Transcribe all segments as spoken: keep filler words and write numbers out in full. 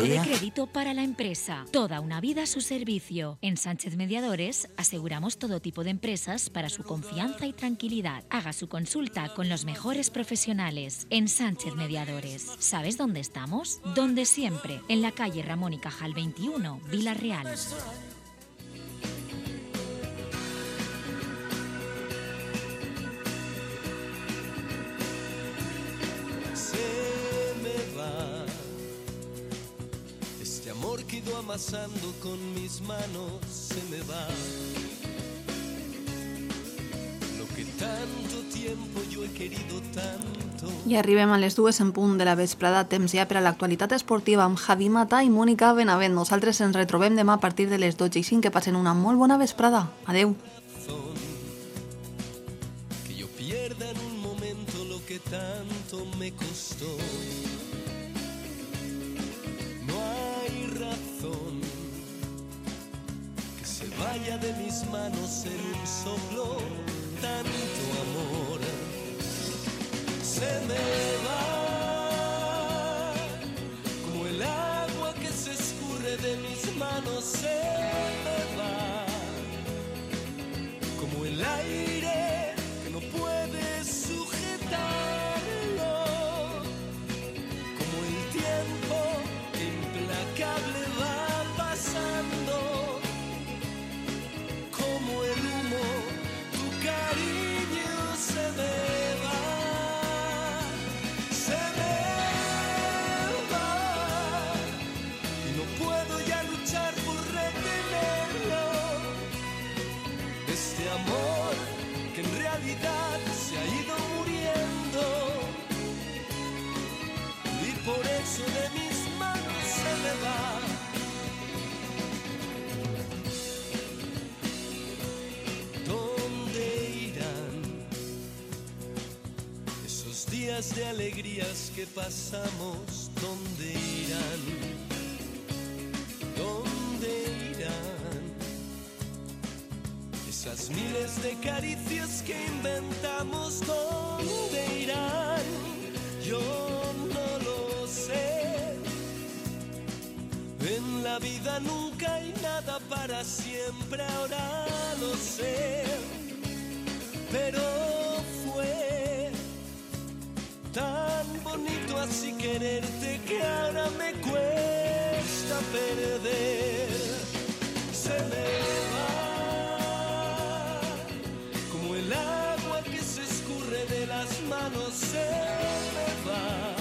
de crédito para la empresa. Toda una vida a su servicio. En Sánchez Mediadores aseguramos todo tipo de empresas para su confianza y tranquilidad. Haga su consulta con los mejores profesionales. En Sánchez Mediadores. ¿Sabes dónde estamos? Donde siempre. En la calle Ramón y Cajal veintiuno, Vila-real. Este amor que he ido amasando con mis manos se me va. Lo que tanto tiempo yo he querido tanto. I arribem a les dues en punt de la vesprada, temps ja per a l'actualitat esportiva amb Javi Mata i Mònica Benavent. Nosaltres ens retrobem demà a partir de les dotze i cinc. Que passen una molt bona vesprada. Adeu. Que yo pierda en un momento lo que tanto me costó. Que se vaya de mis manos en un soplo tanto amor. Se me va como el agua que se escurre de mis manos. Se me va como el aire que no puede sujetarlo, como el tiempo implacable va pasando, como el humo, tu cariño se me va, se me va, y no puedo ya luchar por retenerlo, este amor que en realidad se ha ido muriendo, y por eso de mis manos se me va. ¿Dónde irán esos días de alegrías que pasamos? ¿Dónde irán? ¿Dónde irán esas miles de caricias que inventamos? ¿Dónde irán? Yo no lo sé. En la vida nunca hay nada para siempre, ahora lo sé. Pero fue tan bonito así quererte que ahora me cuesta perder. Se me va como el agua que se escurre de las manos. Se me va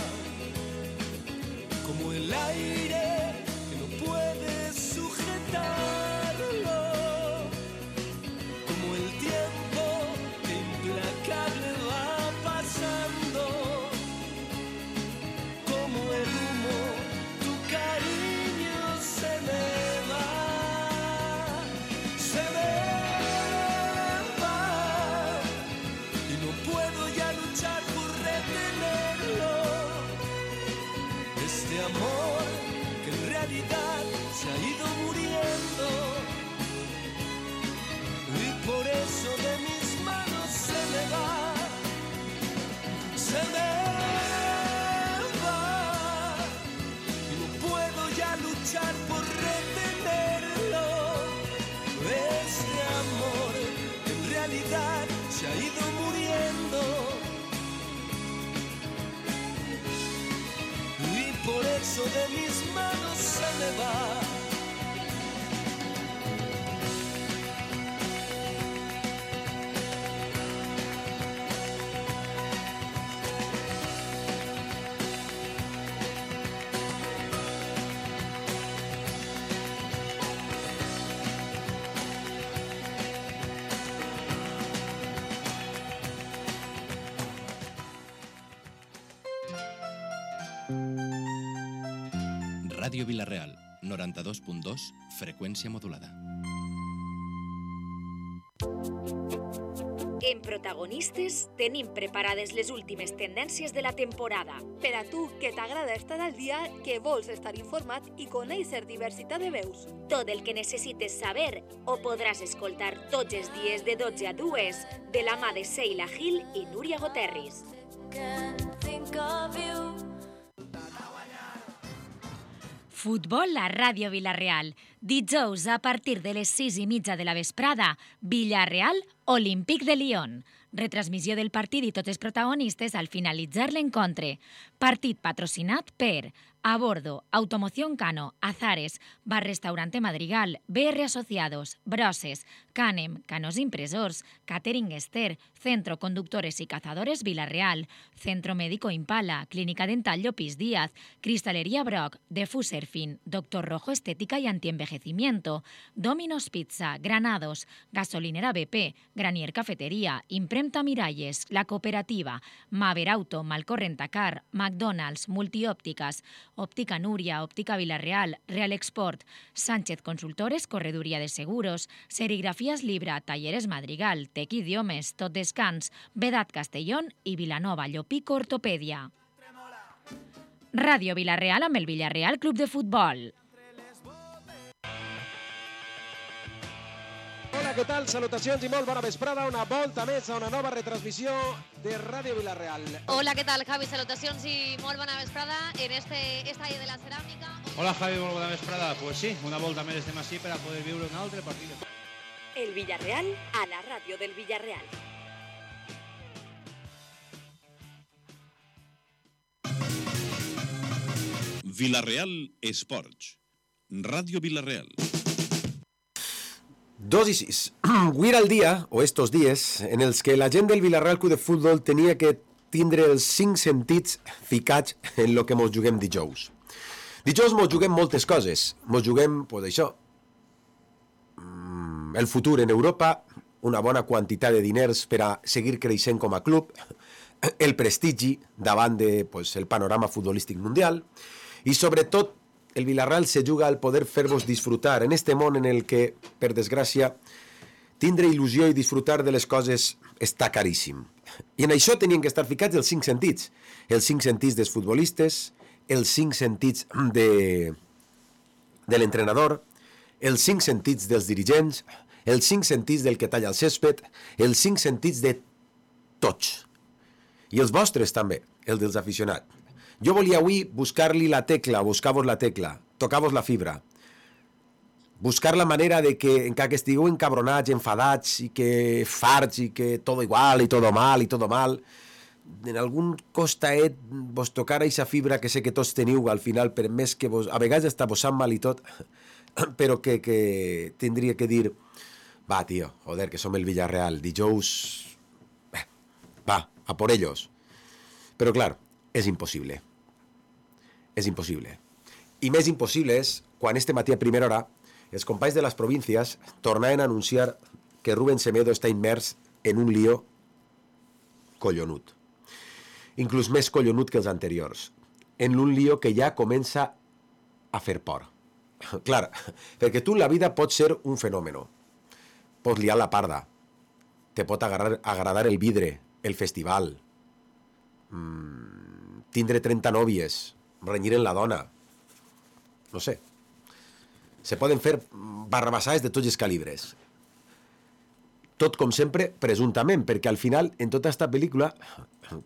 como el aire que no puede sujetarlo, como el tiempo que implacable va pasando, como el humo, tu cariño se me va, se me va, y no puedo ya luchar por retenerlo, este amor que en realidad se ha ido muriendo, y por eso de mis manos se me va, se me va, y no puedo ya luchar por retenerlo, este amor que en realidad se ha ido muriendo, y por eso de mis manos se me va. Ràdio Vila-real, noranta-dos punt dos, freqüència modulada. En Protagonistes tenim preparades les últimes tendències de la temporada. Per a tu, que t'agrada estar al dia, que vols estar informat i conèixer diversitat de veus. Tot el que necessites saber ho podràs escoltar tots els dies de dotze a dues de la mà de Sheila Gil i Núria Goterris. Futbol a Ràdio Vila-real. Dijous a partir de les sis i mitja de la vesprada, Villarreal, Olímpic de Lyon. Retransmissió del partit i tots els protagonistes al finalitzar l'encontre. Partit patrocinat per A Bordo, Automoción Cano, Azares, Bar Restaurante Madrigal, B R Asociados, Broses, Canem, Canos Impresors, Catering Ester, Centro Conductores y Cazadores Vila-real, Centro Médico Impala, Clínica Dental Llopis Díaz, Cristalería Brock, Defuser Fin, Doctor Rojo Estética y Antienvejecimiento, Domino's Pizza, Granados, Gasolinera B P, Granier Cafetería, Impremta Miralles, La Cooperativa, Maver Auto, Malcorrentacar, McDonald's, Multiópticas, Óptica Núria, Óptica Vila-real, Real Export, Sánchez Consultores, Correduría de Seguros, Serigrafías Libra, Talleres Madrigal, Tec Idiomes, Tot Descans, Vedat Castellón i Vilanova Llopico Ortopèdia. Ràdio Vila-real amb el Villarreal Club de Futbol. Hola, què tal? Salutacions i molt bona vesprada. Una volta més a una nova retransmissió de Ràdio Vila-real. Hola, què tal, Javi? Salutacions i molt bona vesprada en este estadi de la ceràmica. Hola, Javi, molt bona vesprada. Pues sí, una volta més estem així per a poder viure un altre partit. El Villarreal a la ràdio del Villarreal. Vila-real Esports. Ràdio Vila-real. Dos i sis. Avui era el dia, o estos dies, en els que la gent del Villarreal Club de Futbol tenia que tindre els cinc sentits ficats en lo que mos juguem dijous. Dijous mos juguem moltes coses. Mos juguem, pues això, el futur en Europa, una bona quantitat de diners per a seguir creixent com a club, el prestigi davant de, pues, el panorama futbolístic mundial i, sobretot, el Villarreal se juga al poder fer-vos disfrutar en este món en el que, per desgràcia, tindre il·lusió i disfrutar de les coses està caríssim. I en això tenien que estar ficats els cinc sentits. Els cinc sentits dels futbolistes, els cinc sentits de, de l'entrenador, els cinc sentits dels dirigents, els cinc sentits del que talla el césped, els cinc sentits de tots. I els vostres també, el dels aficionats. Jo volia avui buscar-li la tecla, buscar-vos la tecla, tocar-vos la fibra, buscar la manera de que, encara que estigueu encabronats, enfadats, i que farts, i que tot igual, i tot mal, i tot mal, en algun costaet vos tocar aquesta fibra que sé que tots teniu al final, per més que vos, a vegades està vos sap mal i tot, però que, que tindria que dir, va, tio, joder, que som el Villarreal, dijous, eh, va, a por ellos. Però, clar, és impossible. És impossible. I més impossible és quan este matí a primera hora els companys de les províncies tornaven a anunciar que Rubén Semedo està immers en un lío collonut. Inclús més collonut que els anteriors. En un lío que ja comença a fer por. Clar, perquè tu la vida pot ser un fenomen. Pots liar la parda. Te pot agradar, agradar el vidre, el festival, mm, tindre trenta nòvies, renyir en la dona, no sé. Se poden fer barrabassades de tots els calibres. Tot, com sempre, presumptament, perquè al final, en tota aquesta pel·lícula,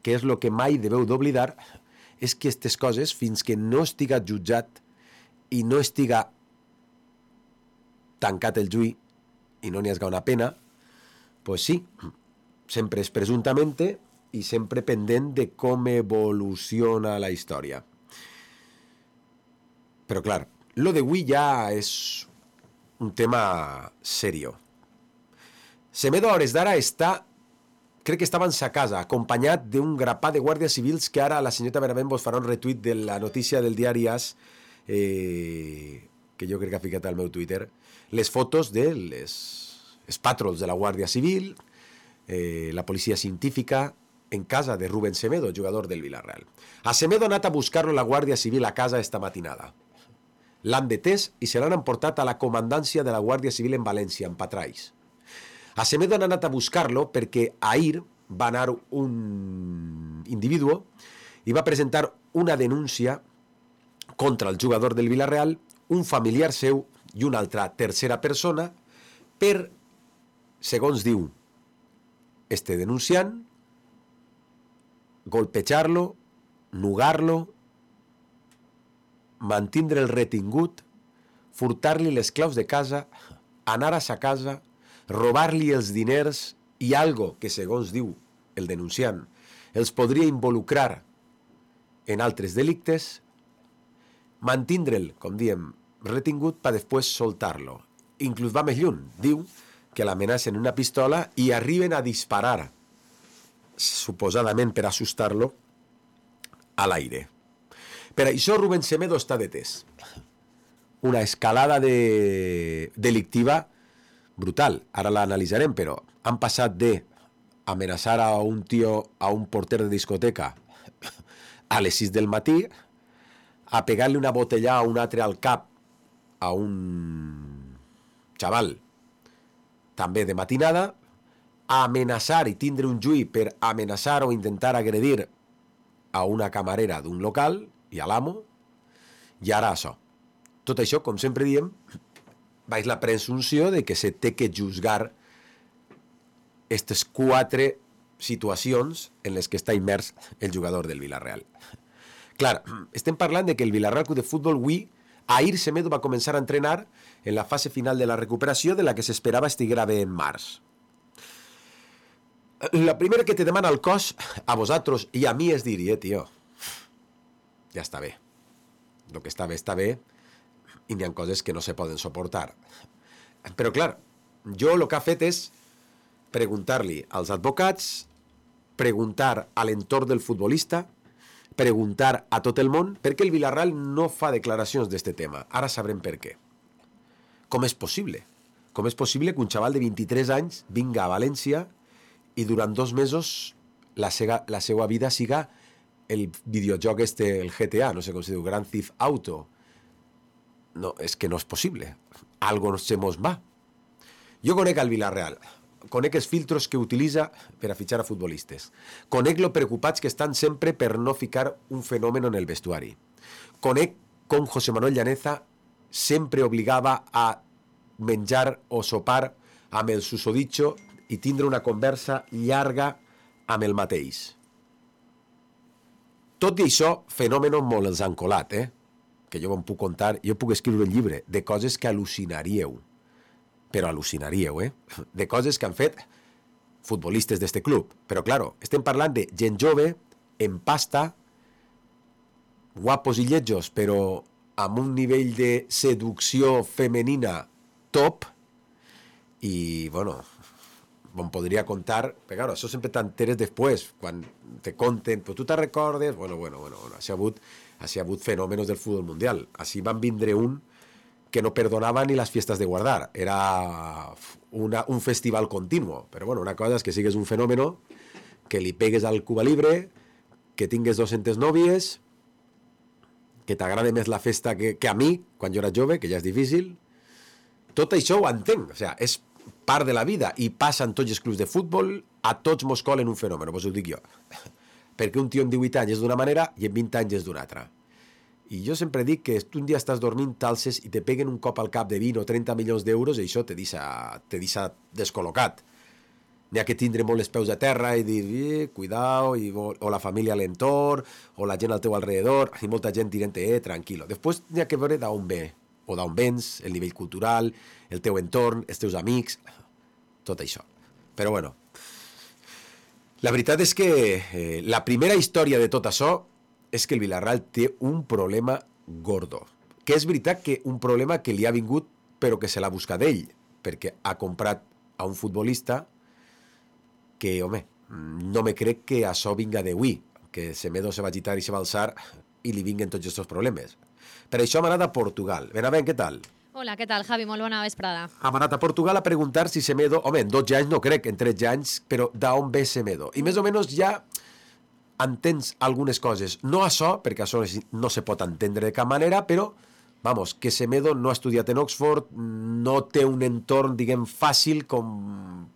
que és el que mai deveu d'oblidar, és que aquestes coses, fins que no estiga jutjat i no estiga tancat el juí i no n'hi hagi una pena, pues sí, sempre és presumptament i sempre pendent de com evoluciona la història. Però, clar, lo d'avui ja és un tema serio. Semedo, a hores d'ara, està, crec que estava en sa casa, acompanyat d'un grapat de guàrdies civils que ara la senyoreta Benavent vos farà un retuit de la notícia del diari As, eh, que jo crec que ha ficat al meu Twitter, les fotos de les, els patrols de la Guàrdia Civil, eh, la policia científica, en casa de Rubén Semedo, jugador del Villarreal. A Semedo ha anat a buscar-lo la Guàrdia Civil a casa esta matinada. L'han detès i se l'han emportat a la comandància de la Guàrdia Civil en València, en Patrais. A Semedo han anat a buscar-lo perquè ahir va anar un individu i va presentar una denúncia contra el jugador del Villarreal, un familiar seu i una altra tercera persona per, segons diu este denunciant, golpejar-lo, nugar-lo mantindre el retingut, furtar-li les claus de casa, anar a sa casa, robar-li els diners i algo que, segons diu el denunciant, els podria involucrar en altres delictes, mantindre'l, com diem, retingut per després soltar-lo. Inclús va més lluny. Diu que l'amenacen una pistola i arriben a disparar, suposadament per assustar-lo, a l'aire. Per això Rubén Semedo està detès. Una escalada de... delictiva brutal. Ara l'analitzarem, però han passat de amenaçar a un tio, a un porter de discoteca a les sis del matí, a pegar-li una botella a un altre al cap a un xaval també de matinada, a amenaçar i tindre un juí per amenaçar o intentar agredir a una camarera d'un local i a l'amo, i ara això. Tot això, com sempre diem, baix la presumpció de que se té que juzgar aquestes quatre situacions en les que està immers el jugador del Villarreal. Clar, estem parlant de que el Villarreal Club de Futbol avui, ahir Semedo va començar a entrenar en la fase final de la recuperació de la que s'esperava estiguera bé en març. La primera que te demana el cos a vosaltres i a mi és dir, eh, tio, ja està bé. El que està bé està bé i n'hi ha coses que no se poden suportar. Però clar, jo el que ha fet és preguntar-li als advocats, preguntar a l'entorn del futbolista, preguntar a tot el món per què el Villarreal no fa declaracions d'aquest tema. Ara sabrem per què. Com és possible? Com és possible que un xaval de vint-i-tres anys vinga a València i durant dos mesos la, sega, la seva vida siga el videojoc este, el G T A, no sé com se diu, Grand Theft Auto? No, és que no és possible. Algo se mos va. Jo conec al Villarreal. Conec els filtros que utilitza per a fitxar a futbolistes. Conec lo preocupats que estan sempre per no ficar un fenomen en el vestuari. Conec com José Manuel Llaneza sempre obligava a menjar o sopar amb el susodicho i tindre una conversa llarga amb el mateix. Tot i això, fenòmenos molt els han colat, eh? Que jo em puc contar, jo puc escriure un llibre de coses que al·lucinaríeu. Però al·lucinaríeu, eh? De coses que han fet futbolistes d'este club. Però, claro, estem parlant de gent jove, en pasta, guapos i lletjos, però amb un nivell de seducció femenina top, i, bueno, em podria contar, però, claro, això sempre t'enteres després, quan te conten, però tu te recordes, bueno, bueno, bueno, bueno així ha hagut, així ha hagut fenòmenos del futbol mundial. Així van vindre un que no perdonava ni les fiestas de guardar. Era una, un festival continuo. Però bueno, una cosa és que sigues un fenòmeno, que li pegues al Cuba Libre, que tingues dos-centes nòvies, que t'agrada més la festa que, que a mi, quan jo era jove, que ja és difícil. Tot això ho entenc. O sigui, és part de la vida i passa en tots els clubs de futbol, a tots mos colen un fenòmeno, vos ho dic jo. Perquè un tio amb divuit anys és d'una manera i amb vint anys és d'una altra. I jo sempre dic que tu un dia estàs dormint, t'alces i te peguen un cop al cap de vint o trenta milions d'euros i això te deixa, te deixa descol·locat. N'hi ha que tindre molt els peus a terra i dir, eh, cuidao, i, o, o la família a l'entorn, o la gent al teu alrededor, i molta gent dient, eh, tranquilo. Després n'hi ha que veure d'on ve, o d'on vens, el nivell cultural, el teu entorn, els teus amics, tot això. Però bueno, la veritat és que eh, la primera història de tot això és que el Villarreal té un problema gordo. Que és veritat que un problema que li ha vingut però que se l'ha buscat ell, perquè ha comprat a un futbolista que, home, no me crec que això vinga d'avui, que Semedo se va agitar i se va alçar i li vinguen tots aquests problemes. Per això hem anat a Portugal. Benavent, què tal? Hola, què tal, Javi? Molt bona vesprada. Hem anat a Portugal a preguntar si Semedo... Home, en dotze anys no crec, en tretze anys, però d'on ve Semedo? I més o menys ja entens algunes coses. No això, perquè això no se pot entendre de cap manera, però, vamos, que Semedo no ha estudiat en Oxford, no té un entorn, diguem, fàcil com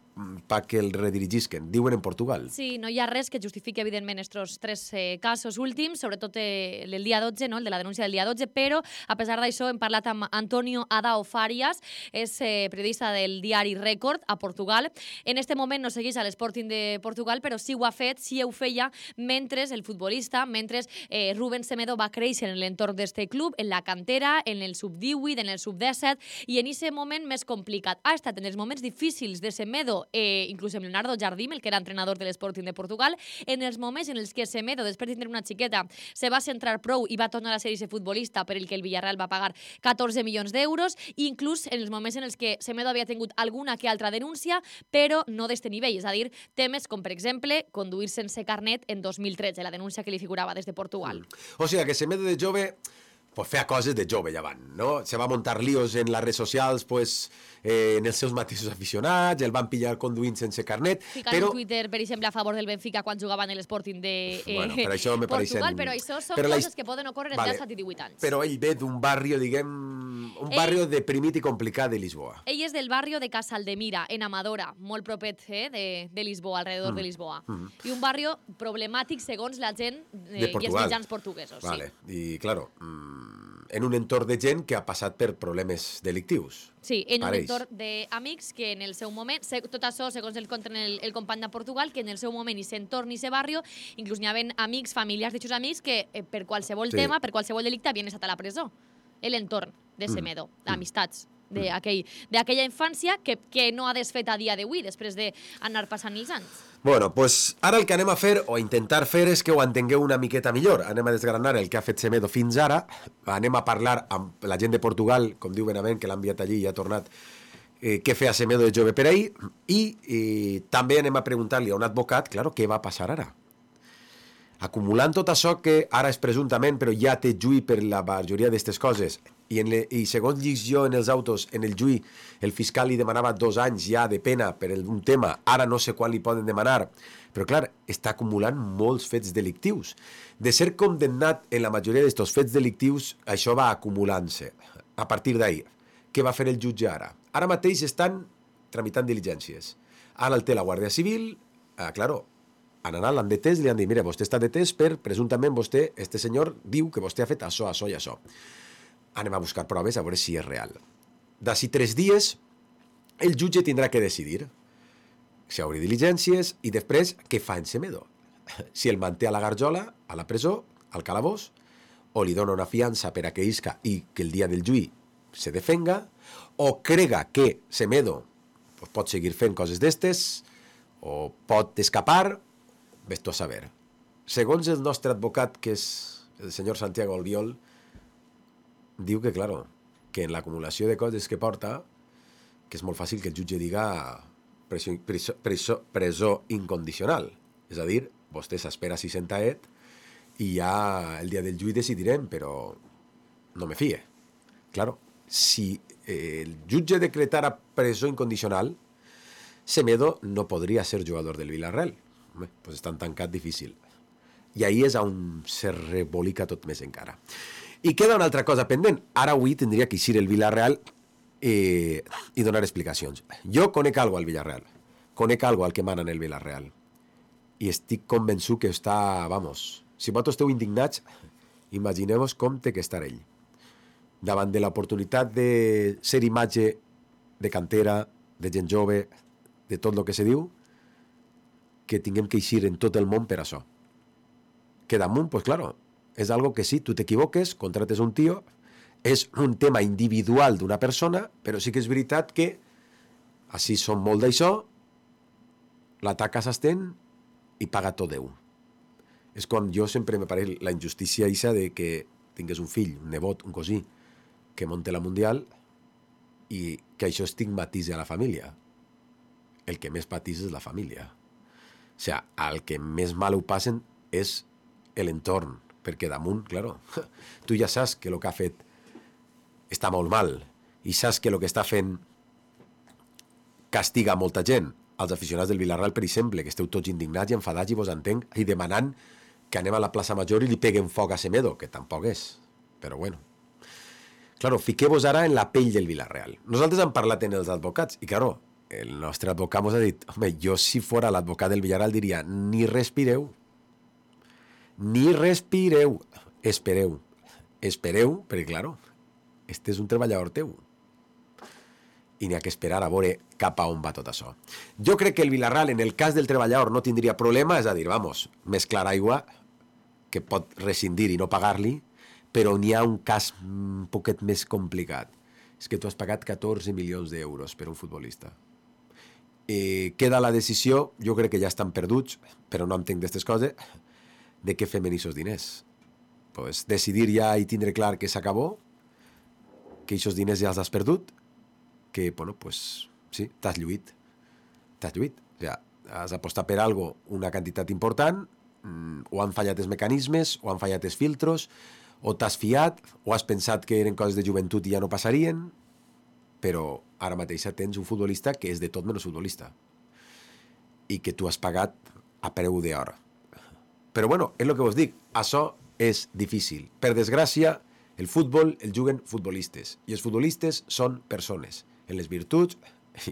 perquè el redirigisquen. Diuen en Portugal. Sí, no hi ha res que justifiqui, evidentment, estos tres eh, casos últims, sobretot eh, el dia dotze, no? El de la denúncia del dia dotze, però, a pesar d'això, hem parlat amb Antonio Adao Farias, és eh, periodista del diari Record a Portugal. En este moment no segueix a l'Sporting de Portugal, però sí ho ha fet, sí ho feia, mentre el futbolista, mentre eh, Rubén Semedo va créixer en l'entorn d'este club, en la cantera, en el sub divuit, en el sub disset, i en aquest moment més complicat. Ha estat en els moments difícils de Semedo, eh, inclús amb Leonardo Jardim, el que era entrenador de l'Sporting de Portugal, en els moments en els que Semedo, després de tenir una xiqueta, se va centrar prou i va tornar a ser ese futbolista per el que el Villarreal va pagar catorze milions d'euros, i inclús en els moments en els que Semedo havia tingut alguna que altra denúncia, però no d'este nivell, és a dir, temes com, per exemple, conduir sense carnet en dos mil tretze, la denúncia que li figurava des de Portugal. Mm. O sigui, que Semedo de jove pues feia coses de jove ja van, no? Se va muntar líos en les redes socials, pues, eh, en els seus mateixos aficionats, el van pillar conduint sense carnet. Ficar però... en Twitter, per exemple, a favor del Benfica quan jugaven en l'Sporting de eh, bueno, per això me Portugal, pareixen... però això són però la... coses que poden ocórrer vale. en disset i divuit anys. Però ell ve d'un barri, diguem, un barri ell... deprimit i complicat de Lisboa. Ell és del barri de Casaldemira, en Amadora, molt propet eh, de, de Lisboa, alrededor mm. de Lisboa. Mm. I un barri problemàtic segons la gent eh, i els mitjans portuguesos. Vale. Sí. I, claro, mm, en un entorn de gent que ha passat per problemes delictius. Sí, en Pareix. un entorn d'amics que en el seu moment, tot això segons el conten el, el company de Portugal, que en el seu moment i s'entorn i se barri, inclús n'hi havia amics, familiars d'eixos amics que eh, per qualsevol sí. tema, per qualsevol delicte, havien estat a la presó. L'entorn de Semedo, mm. amistats d'aquella infància que, que no ha desfet a dia d'avui, després d'anar passant els anys. Bueno, pues ara el que anem a fer, o a intentar fer, és que ho entengueu una miqueta millor. Anem a desgranar el que ha fet Semedo fins ara, anem a parlar amb la gent de Portugal, com diu Benavent, que l'ha enviat allí i ha tornat, eh, què feia Semedo de jove per ahir, i eh, també anem a preguntar-li a un advocat, claro, què va passar ara. Acumulant tot això que ara és presumptament, però ja té juí per la majoria d'aquestes coses, i, en le, i segons llis jo en els autos, en el juí, el fiscal li demanava dos anys ja de pena per un tema, ara no sé quan li poden demanar, però clar, està acumulant molts fets delictius. De ser condemnat en la majoria d'aquests fets delictius, això va acumulant-se. A partir d'ahir, què va fer el jutge ara? Ara mateix estan tramitant diligències. Ara el té la Guàrdia Civil, ah, claro, han anat, l'han detès, li han dit, mira, vostè està detès per, presumptament, vostè, este senyor, diu que vostè ha fet això, això i això. Anem a buscar proves a veure si és real. D'ací tres dies, el jutge tindrà que decidir si obrir diligències i després què fa en Semedo. Si el manté a la garjola, a la presó, al calabós, o li dona una fiança per a que isca i que el dia del juí se defenga, o crega que Semedo pues, pot seguir fent coses d'estes, o pot escapar, ves tu a saber. Segons el nostre advocat, que és el senyor Santiago Albiol, diu que, claro, que en l'acumulació de coses que porta, que és molt fàcil que el jutge diga presó, presó, presó, presó incondicional. És a dir, vostè s'espera si sentaet i ja el dia del juí decidirem, però no me fie. Claro, si el jutge decretara presó incondicional, Semedo no podria ser jugador del Villarreal. Home, pues és tan tancat difícil. I ahí és on se rebolica tot més encara. I queda una altra cosa pendent. Ara avui tindria que eixir el Villarreal eh, i donar explicacions. Jo conec algo al Villarreal. Conec algo al que mana en el Villarreal. I estic convençut que està, vamos, si vosaltres esteu indignats, imagineu-vos com té que estar ell. Davant de l'oportunitat de ser imatge de cantera, de gent jove, de tot el que se diu, que tinguem que eixir en tot el món per això. Que damunt, pues claro, és algo que sí, tu t'equivoques, contrates un tio, és un tema individual d'una persona, però sí que és veritat que així som molt d'això, la taca s'estén i paga tot Déu. És com jo sempre me pareix la injustícia eixa de que tingués un fill, un nebot, un cosí, que monte la Mundial i que això estigmatitza a la família. El que més patís és la família. O sigui, el que més mal ho passen és l'entorn, perquè damunt, claro, tu ja saps que el que ha fet està molt mal i saps que el que està fent castiga molta gent. Els aficionats del Villarreal, per exemple, que esteu tots indignats i enfadats i vos entenc, i demanant que anem a la plaça Major i li peguen foc a Semedo, que tampoc és, però bueno. Claro, fiqueu-vos ara en la pell del Villarreal. Nosaltres hem parlat en els advocats i, claro, el nostre advocat mos ha dit, home, jo si fora l'advocat del Villarreal diria, ni respireu, ni respireu, espereu, espereu, perquè, claro, este és un treballador teu. I n'hi ha que esperar a veure cap a on va tot això. Jo crec que el Villarreal, en el cas del treballador, no tindria problema, és a dir, vamos, mesclar aigua, que pot rescindir i no pagar-li, però n'hi ha un cas un poquet més complicat. És que tu has pagat catorze milions d'euros per un futbolista. Eh, queda la decisió, jo crec que ja estan perduts, però no entenc d'aquestes coses, de què fem en aquests diners. Pues decidir ja i tindre clar que s'acabó, que aquests diners ja els has perdut, que, bueno, pues, sí, t'has lluït. T'has lluït. O sigui, has apostat per algo una quantitat important, o han fallat els mecanismes, o han fallat els filtros, o t'has fiat, o has pensat que eren coses de joventut i ja no passarien, però ara mateix tens un futbolista que és de tot menys futbolista i que tu has pagat a preu d'hora. Però bueno, és el que vos dic, això és difícil. Per desgràcia, el futbol el juguen futbolistes i els futbolistes són persones, en les virtuts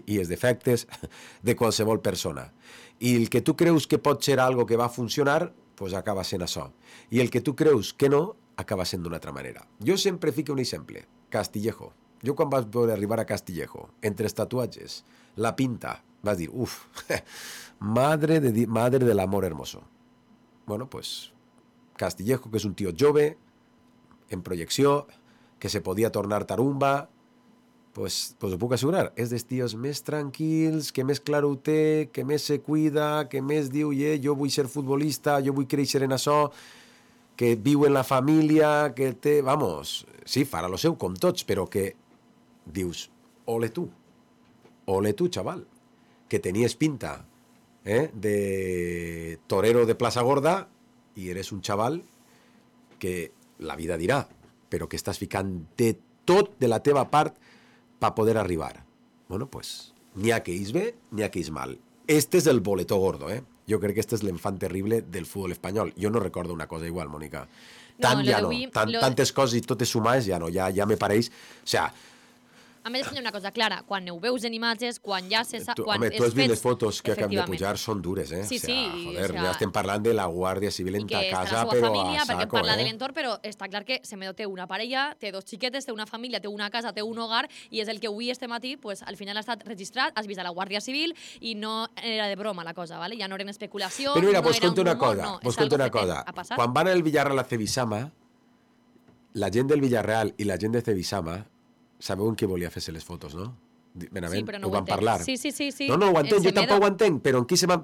i els defectes de qualsevol persona. I el que tu creus que pot ser algo que va funcionar, pues acaba sent això. I el que tu creus que no, acaba sent d'una altra manera. Jo sempre fico un exemple. Castillejo. Jo quan vaig veure arribar a Castillejo, entre els tatuatges, la pinta, vas dir, uf, madre de, madre de l'amor hermoso. Bueno, pues, Castillejo, que és un tio jove, en projecció, que se podia tornar tarumba, pues, pues ho puc assegurar, és dels tios més tranquils, que més clar ho té, que més se cuida, que més diu, eh, jo vull ser futbolista, jo vull créixer en això, que viu en la família, que té, vamos, sí, farà lo seu com tots, però que dius, ole tu, ole tu, xaval, que tenies pinta eh, de torero de Plaça Gorda i eres un xaval que la vida dirà, però que estàs ficant de tot de la teva part per poder arribar. Bueno, pues, n'hi ha que és bé, n'hi ha que és mal. Este és el boletó gordo, eh? Jo crec que este és l'enfant terrible del futbol espanyol. Jo no recordo una cosa igual, Mònica. Tant no, ja no. Tant, lo... Tantes coses i totes sumades ja no. Ja, ja me pareix... O sea, a més, una cosa clara, quan ho veus en imatges, quan ja se sap... Tu, home, tu has vist les fotos que acabem de pujar, són dures, eh? Sí, sí. O sea, joder, o sea, ja estem parlant de la Guàrdia Civil en ta casa, però família, a saco, perquè parla eh? de l'entorn, però està clar que Semedo té una parella, té dos xiquetes, té una família, té una casa, té un hogar, i és el que avui, este matí, pues, al final ha estat registrat, has vist a la Guàrdia Civil, i no era de broma la cosa, ¿vale? Ja no eren especulacions, però mira, no vos era conto un una rumor, cosa, no, vos és conto algo una que cosa. ha passat. Quan van al Villarreal a Cebisama, la gent del Villarreal i la gent de Cebisama, sabeu en què volia fer-se les fotos, no? Benavent, sí, no ho van parlar. Sí, sí, sí, sí. No, no ho entenc, jo tampoc ho entenc, però en qui, se va...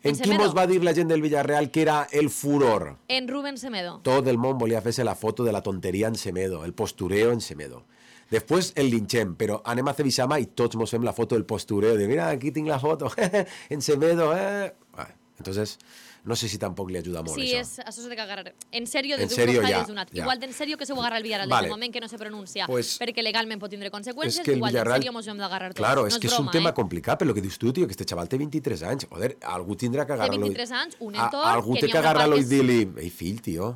en en qui mos va dir la gent del Villarreal que era el furor? En Rubén Semedo. Tot el món volia fer-se la foto de la tonteria en Semedo, el postureo en Semedo. Després el linchem, però anem a Cebisama i tots mos fem la foto del postureo, de mira, aquí tinc la foto, en Semedo, eh? Ah, entonces... No sé si tampoc li ajuda molt, sí, això. Sí, això s'ha de agarrar. En sèrio, en des serio, d'un ja, donat. ja. Igual d'en sèrio que se ho agarra el Villarreal, vale. des del moment que no se pronuncia, pues, perquè legalment pot tindre conseqüències, es que igual Villarreal... d'en sèrio mos ho hem d'agarrar tots. Claro, no és és que broma, és un tema eh? complicat, per lo que dius tu, tio, que este xaval té vint-i-tres anys. Joder, algú tindrà que agarrar-lo... Té vint-i-tres anys, un entorn... Algú té que agarrar-lo i dir-li, ei, fill, tio,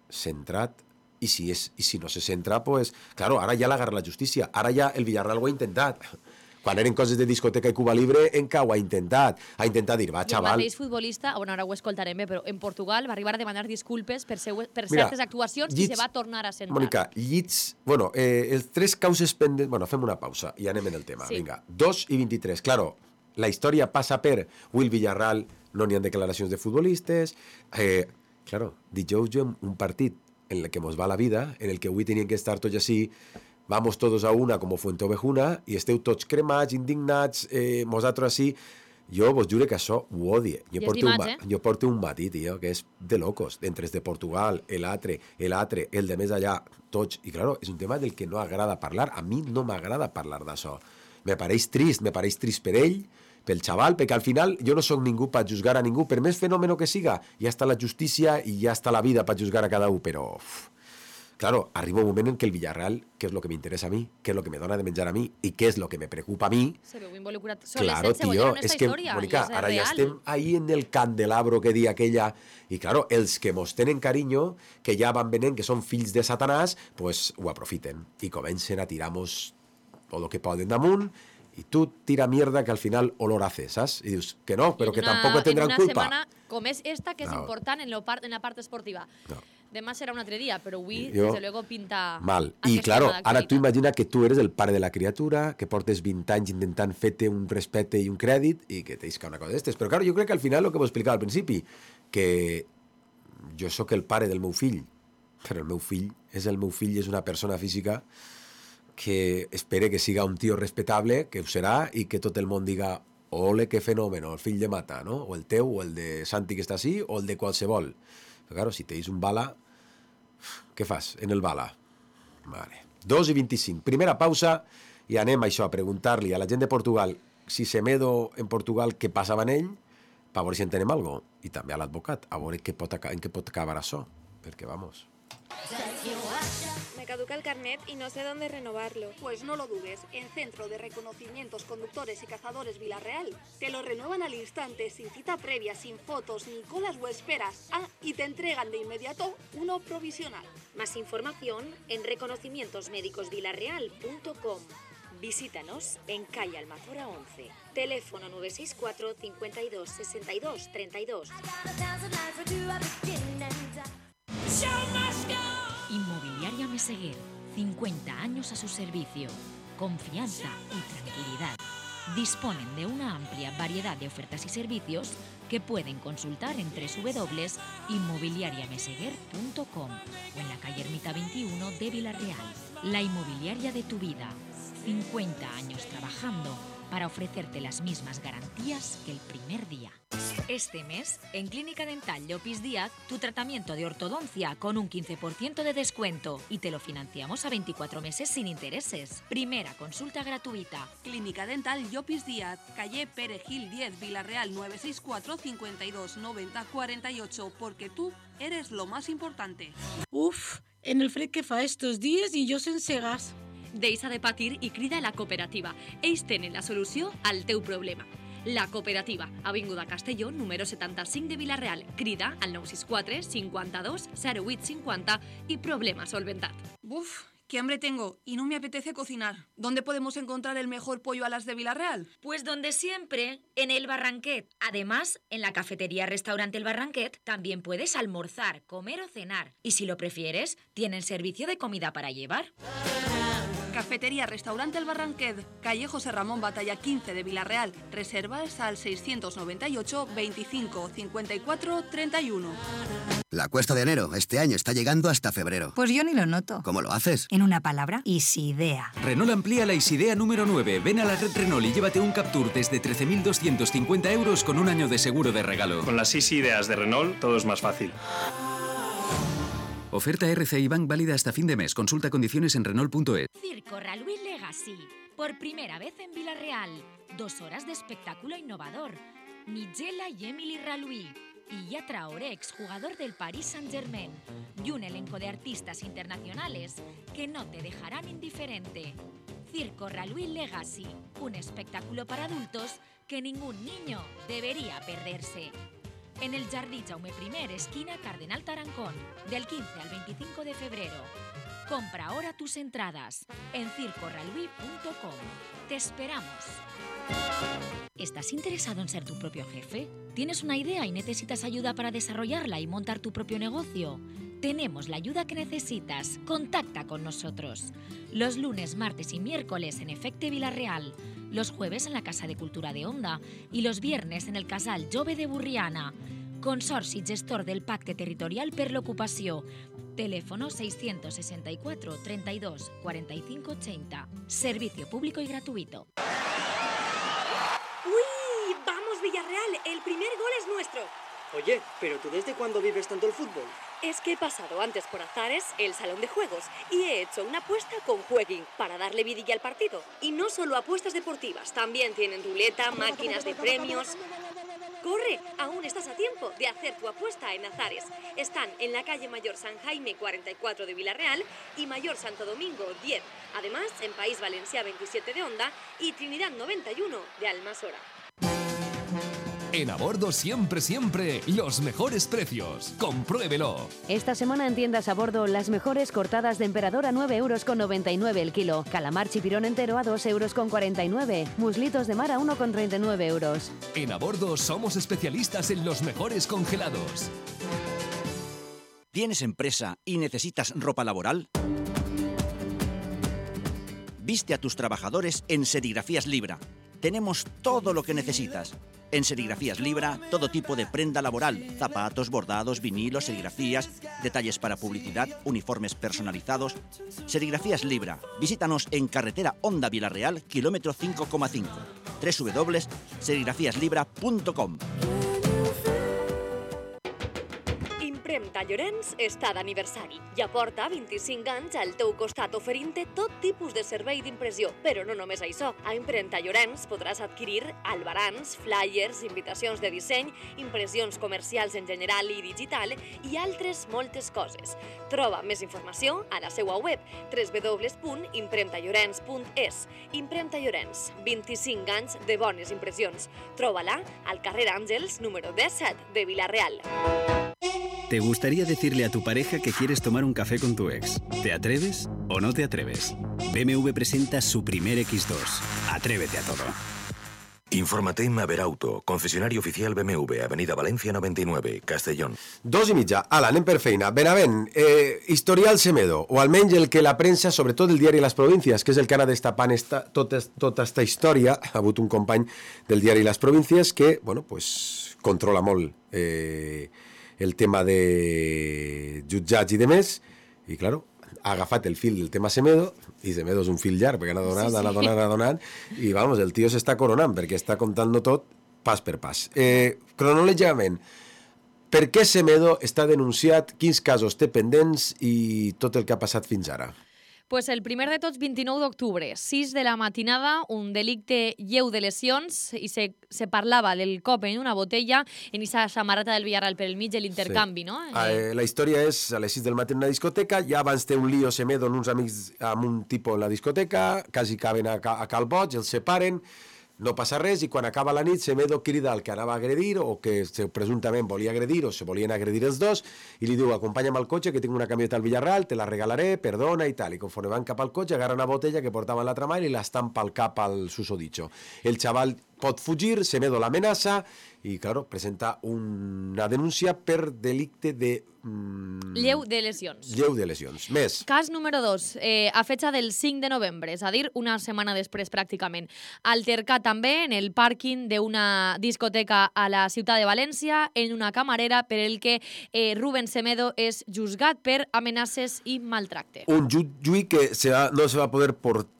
centra't. I si, és, I si no se centra, pues... Claro, ara ja l'agarra la justícia. Ara ja el Villarreal ho ha intentat. Quan eren coses de discoteca i Cuba Libre, enca ho ha intentat. Ha intentat dir, va, xaval... El mateix futbolista, bueno, ara ho escoltarem bé, però en Portugal va arribar a demanar disculpes per, seu, per Mira, certes actuacions llits, i se va tornar a sentar. Mònica, llits... Bueno, eh, els tres causes pendents... Bueno, fem una pausa i anem en el tema. Sí. Vinga, dos i vint-i-tres. Claro, la història passa per Will Villarreal, no n'hi ha declaracions de futbolistes... Eh, claro, dijous jo un partit en el que mos va la vida, en el que avui tenien que estar tots així... Vamos todos a una como Fuente Ovejuna i esteu tots cremats, indignats, eh, nosaltres així. Jo vos juro que això ho odie. Jo porto, un, eh? jo porto un matí, tio, que és de locos. Entre els de Portugal, el altre, el altre, el de més allà, tots. I, claro, és un tema del que no agrada parlar. A mi no m'agrada parlar d'això. Me pareix trist, me pareix trist per ell, pel xaval, perquè al final jo no sóc ningú per juzgar a ningú, per més fenomen que siga. Ja està la justícia i ja està la vida per juzgar a cada un, però... Uf, claro, arriba un moment en que el Villarreal, que és lo que m'interessa a mi, que és lo que me dona de menjar a mi i que és lo que me preocupa a mi... Se veu involucrat. Són claro, les tio, és que, història, Mónica, és ara real. ja estem ahí en el candelabro que dia aquella... I, claro, els que mos tenen carinyo, que ja van venent, que són fills de Satanàs, pues ho aprofiten i comencen a tirar-nos tot el que poden damunt y tú tira mierda que al final olor hace, ¿sabes? Y dices que no, pero que una, tampoco tendrán en una culpa. setmana com és esta, que és No. important en, lo part, en la part esportiva. No. Demà serà un altre dia, però avui, Yo- desde luego, pinta... Mal. I, aquesta claro, nova ara tu d'actualitat. imagina que tu eres el pare de la criatura, que portes vint anys intentant fer-te un respecte i un crèdit i que t'isca una cosa d'estes. Però, claro, jo crec que al final, el que vos explicava al principi, que jo sóc el pare del meu fill, però el meu fill és el meu fill i és una persona física que espere que siga un tio respetable, que ho serà, i que tot el món diga ole, que fenòmeno, el fill de Mata, no? O el teu, o el de Santi que està així, o el de qualsevol. Però, claro, si teis un bala, què fas en el bala? Vale. dos i vint-i-cinc. Primera pausa i anem a això, a preguntar-li a la gent de Portugal si Semedo en Portugal què passava en ell, per veure si entenem alguna cosa. I també a l'advocat, a veure què pot, en què pot acabar això. Perquè, vamos... Me caduca el carnet y no sé dónde renovarlo. Pues no lo dudes, en Centro de Reconocimientos Conductores y Cazadores Villarreal te lo renuevan al instante, sin cita previa, sin fotos, ni colas o esperas. Ah, y te entregan de inmediato uno provisional. Más información en reconocimientos médicos villarreal punto com. Visítanos en calle Almazora once. Teléfono nueve seis cuatro, cincuenta y dos, sesenta y dos, treinta y dos. Inmobiliaria Meseguer, cincuenta años a su servicio. Confianza y tranquilidad. Disponen de una amplia variedad de ofertas y servicios que pueden consultar en doble u doble u doble u punto inmobiliaria meseguer punto com o en la calle Ermita veintiuno de Villarreal. La inmobiliaria de tu vida. cincuenta años trabajando para ofrecerte las mismas garantías que el primer día. Este mes, en Clínica Dental Llopis Díaz, tu tratamiento de ortodoncia con un quince por ciento de descuento y te lo financiamos a veinticuatro meses sin intereses. Primera consulta gratuita. Clínica Dental Llopis Díaz, calle Perejil diez, Villarreal nueve seis cuatro, cincuenta y dos, noventa, cuarenta y ocho, porque tú eres lo más importante. Uf, en el fred que fa estos días i jo sense gas. Deixa de patir i crida a la cooperativa. Ells tenen la solució al teu problema. La Cooperativa, Avinguda Castelló, número setanta-cinc de Villarreal. Crida al nou sis quatre, cinquanta-dos, zero vuit cinquanta y problema solventat. Uf, qué hambre tengo y no me apetece cocinar. ¿Dónde podemos encontrar el mejor pollo a las de Villarreal? Pues donde siempre, en el Barranquet. Además, en la cafetería Restaurante El Barranquet también puedes almorzar, comer o cenar. Y si lo prefieres, tienen servicio de comida para llevar. Cafetería Restaurante El Barranquet, calle José Ramón Batalla quince de Villarreal. Reservas al seiscientos noventa y ocho, veinticinco, cincuenta y cuatro, treinta y uno. La cuesta de enero este año está llegando hasta febrero. Pues yo ni lo noto. ¿Cómo lo haces? En una palabra, Isidea. Renault amplía la Isidea número nueve. Ven a la red Renault y llévate un Captur desde trece mil doscientos cincuenta euros con un año de seguro de regalo. Con las seis ideas de Renault, todo es más fácil. Oferta R C I Bank válida hasta fin de mes. Consulta condiciones en Renault punto es. Circo Raluí Legacy. Por primera vez en Villarreal. Dos horas de espectáculo innovador. Nigella y Emily Raluí. Illa Traoré, exjugador del Paris Saint-Germain. Y un elenco de artistas internacionales que no te dejarán indiferente. Circo Raluí Legacy. Un espectáculo para adultos que ningún niño debería perderse. En el Jardí Jaume I, esquina Cardenal Tarancón, del quince al veinticinco de febrero. Compra ahora tus entradas en circo raluí punto com. Te esperamos. ¿Estás interesado en ser tu propio jefe? ¿Tienes una idea y necesitas ayuda para desarrollarla y montar tu propio negocio? Tenemos la ayuda que necesitas. Contacta con nosotros. Los lunes, martes y miércoles en Efecte Villarreal. Los jueves en la Casa de Cultura de Onda y los viernes en el Casal Jove de Burriana. Consorci gestor del Pacte Territorial per l'Ocupació. Teléfono seiscientos sesenta y cuatro, treinta y dos, cuarenta y cinco, ochenta. Servicio público y gratuito. ¡Uy! ¡Vamos, Villarreal! El primer gol es nuestro. Oye, ¿pero tú desde cuándo vives tanto el fútbol? Es que he pasado antes por Azares, el salón de juegos, y he hecho una apuesta con Jueguin para darle vidilla al partido. Y no solo apuestas deportivas, también tienen ruleta, máquinas de premios. ¡Corre! Aún estás a tiempo de hacer tu apuesta en Azares. Están en la calle Mayor San Jaime cuarenta y cuatro de Villarreal y Mayor Santo Domingo diez. Además, en País Valencià veintisiete de Onda y Trinidad noventa y uno de Almasora. En Abordo siempre, siempre, los mejores precios. Compruébelo. Esta semana en tiendas a bordo, las mejores cortadas de emperador a nueve euros con noventa y nueve el kilo. Calamar chipirón entero a dos euros con cuarenta y nueve. Muslitos de mar a uno con treinta y nueve euros. En Abordo somos especialistas en los mejores congelados. ¿Tienes empresa y necesitas ropa laboral? Viste a tus trabajadores en Serigrafías Libra. Tenemos todo lo que necesitas. En Serigrafías Libra, todo tipo de prenda laboral, zapatos, bordados, vinilos, serigrafías, detalles para publicidad, uniformes personalizados. Serigrafías Libra. Visítanos en carretera Honda Vilareal, kilómetro cinco coma cinco. doble u doble u doble u punt serigrafías libra punt com. Impremta Llorenç està d'aniversari i aporta vint-i-cinc anys al teu costat oferint-te tot tipus de servei d'impressió. Però no només això. A Impremta Llorenç podràs adquirir albarans, flyers, invitacions de disseny, impressions comercials en general i digital i altres moltes coses. Troba més informació a la seva web doble u doble u doble u punt impremta llorenç punt es. Impremta Llorenç, vint-i-cinc anys de bones impressions. Troba-la al carrer Àngels, número disset de Vila-real. ¿Te gustaría decirle a tu pareja que quieres tomar un café con tu ex? ¿Te atreves o no te atreves? B M W presenta su primer equis dos. Atrévete a todo. Infórmate en Maverauto, concesionario oficial B M W, Avenida Valencia noventa y nueve, Castellón. Dos i mitja. Ala, anem per feina. Benavent, eh, historial Semedo, o almenys el que la premsa, sobretot el diari Las Provincias, que és el que ha anat destapant esta, tota, tota esta història, ha hagut un company del diari Las Provincias que, bueno, pues, controla molt eh, el tema de jutjats i de més, i, claro, ha agafat el fil del tema Semedo, i Semedo és un fil llarg, perquè ha anat donant, sí, sí. ha anat donant, ha anat donant, i, vamos, el tio s'està coronant, perquè està contant-lo tot pas per pas. Eh, cronològicament, per què Semedo està denunciat, quins casos té pendents i tot el que ha passat fins ara? Pues el primer de tots, vint-i-nou d'octubre, sis de la matinada, un delicte lleu de lesions i se, se parlava del cop en una botella en aquesta samarreta del Villarreal per el mig de l'intercanvi, sí. no? Eh, la història és a les sis del matí en una discoteca, ja abans té un lío Semedo amb uns amics, amb un tipus en la discoteca, quasi caben a, a Cal Boig, els separen, no passa res, i quan acaba la nit Semedo crida al que anava a agredir o que presumptament volia agredir o se volien agredir els dos i li diu, acompanya'm al cotxe que tinc una camioneta al Villarreal, te la regalaré, perdona i tal, i conforme van cap al cotxe agarra una botella que portava en l'altra mà i la estampa al cap al susodicho. El xaval pot fugir, Semedo l'amenaça i, claro, presenta una denúncia per delicte de... Mm, lleu de lesions. Lleu de lesions. Més. Cas número dos, eh, a fecha del cinc de novembre, és a dir, una setmana després pràcticament. Altercat també en el pàrquing d'una discoteca a la ciutat de València, en una camarera per el que eh, Rubén Semedo és juzgat per amenaces i maltracte. Un juí que se va, no se va poder portar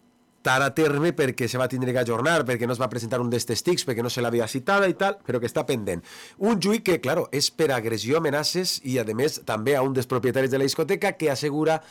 a terme perquè se va tindre que ajornar, perquè no es va presentar un dels testics, perquè no se l'havia citada i tal, però que està pendent. Un juí que, claro, és per agressió, amenaces i, a més, també a un dels propietaris de la discoteca que assegura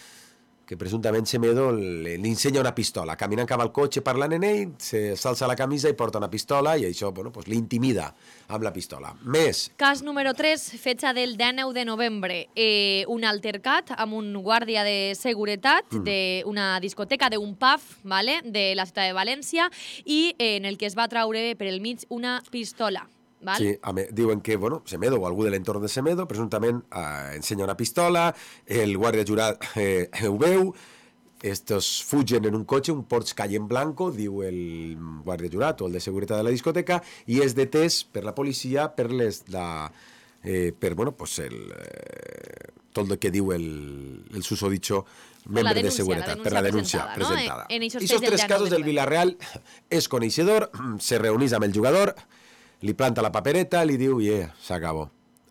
que presumptament Semedo li ensenya una pistola. Caminant cap al cotxe parlant en ell, s'alça la camisa i porta una pistola i això, bueno, pues, l'intimida amb la pistola. Més. Cas número tres, fecha del dinou de novembre. Eh, un altercat amb un guàrdia de seguretat mm. d'una discoteca, d'un pub, ¿vale?, de la ciutat de València, i eh, en el que es va traure per el mig una pistola. Val? Sí, me, diuen que, bueno, Semedo o algú de l'entorn de Semedo presumptament eh, ensenya una pistola, el guàrdia jurat eh, ho veu, estos fugen en un cotxe, un Porsche Cayenne blanco, diu el guàrdia jurat o el de seguretat de la discoteca, i és detès per la policia per les la, eh, per, bueno, pues el eh, tot el que diu el, el susodicho membre de seguretat, per la denúncia presentada. No? En, en I aquests tres casos del Villarreal és coneixedor, se reunís amb el jugador, li planta la papereta, li diu, yeah, s'acabó.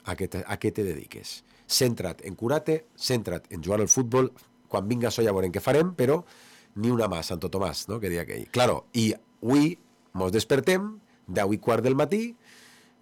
A què te, a què te dediques? Centra't en curar-te, centra't en jugar al futbol, quan vinga això ja veurem què farem, però ni una mà, Santo Tomàs, no?, que deia aquell. Claro, i avui mos despertem, deu i quart del matí,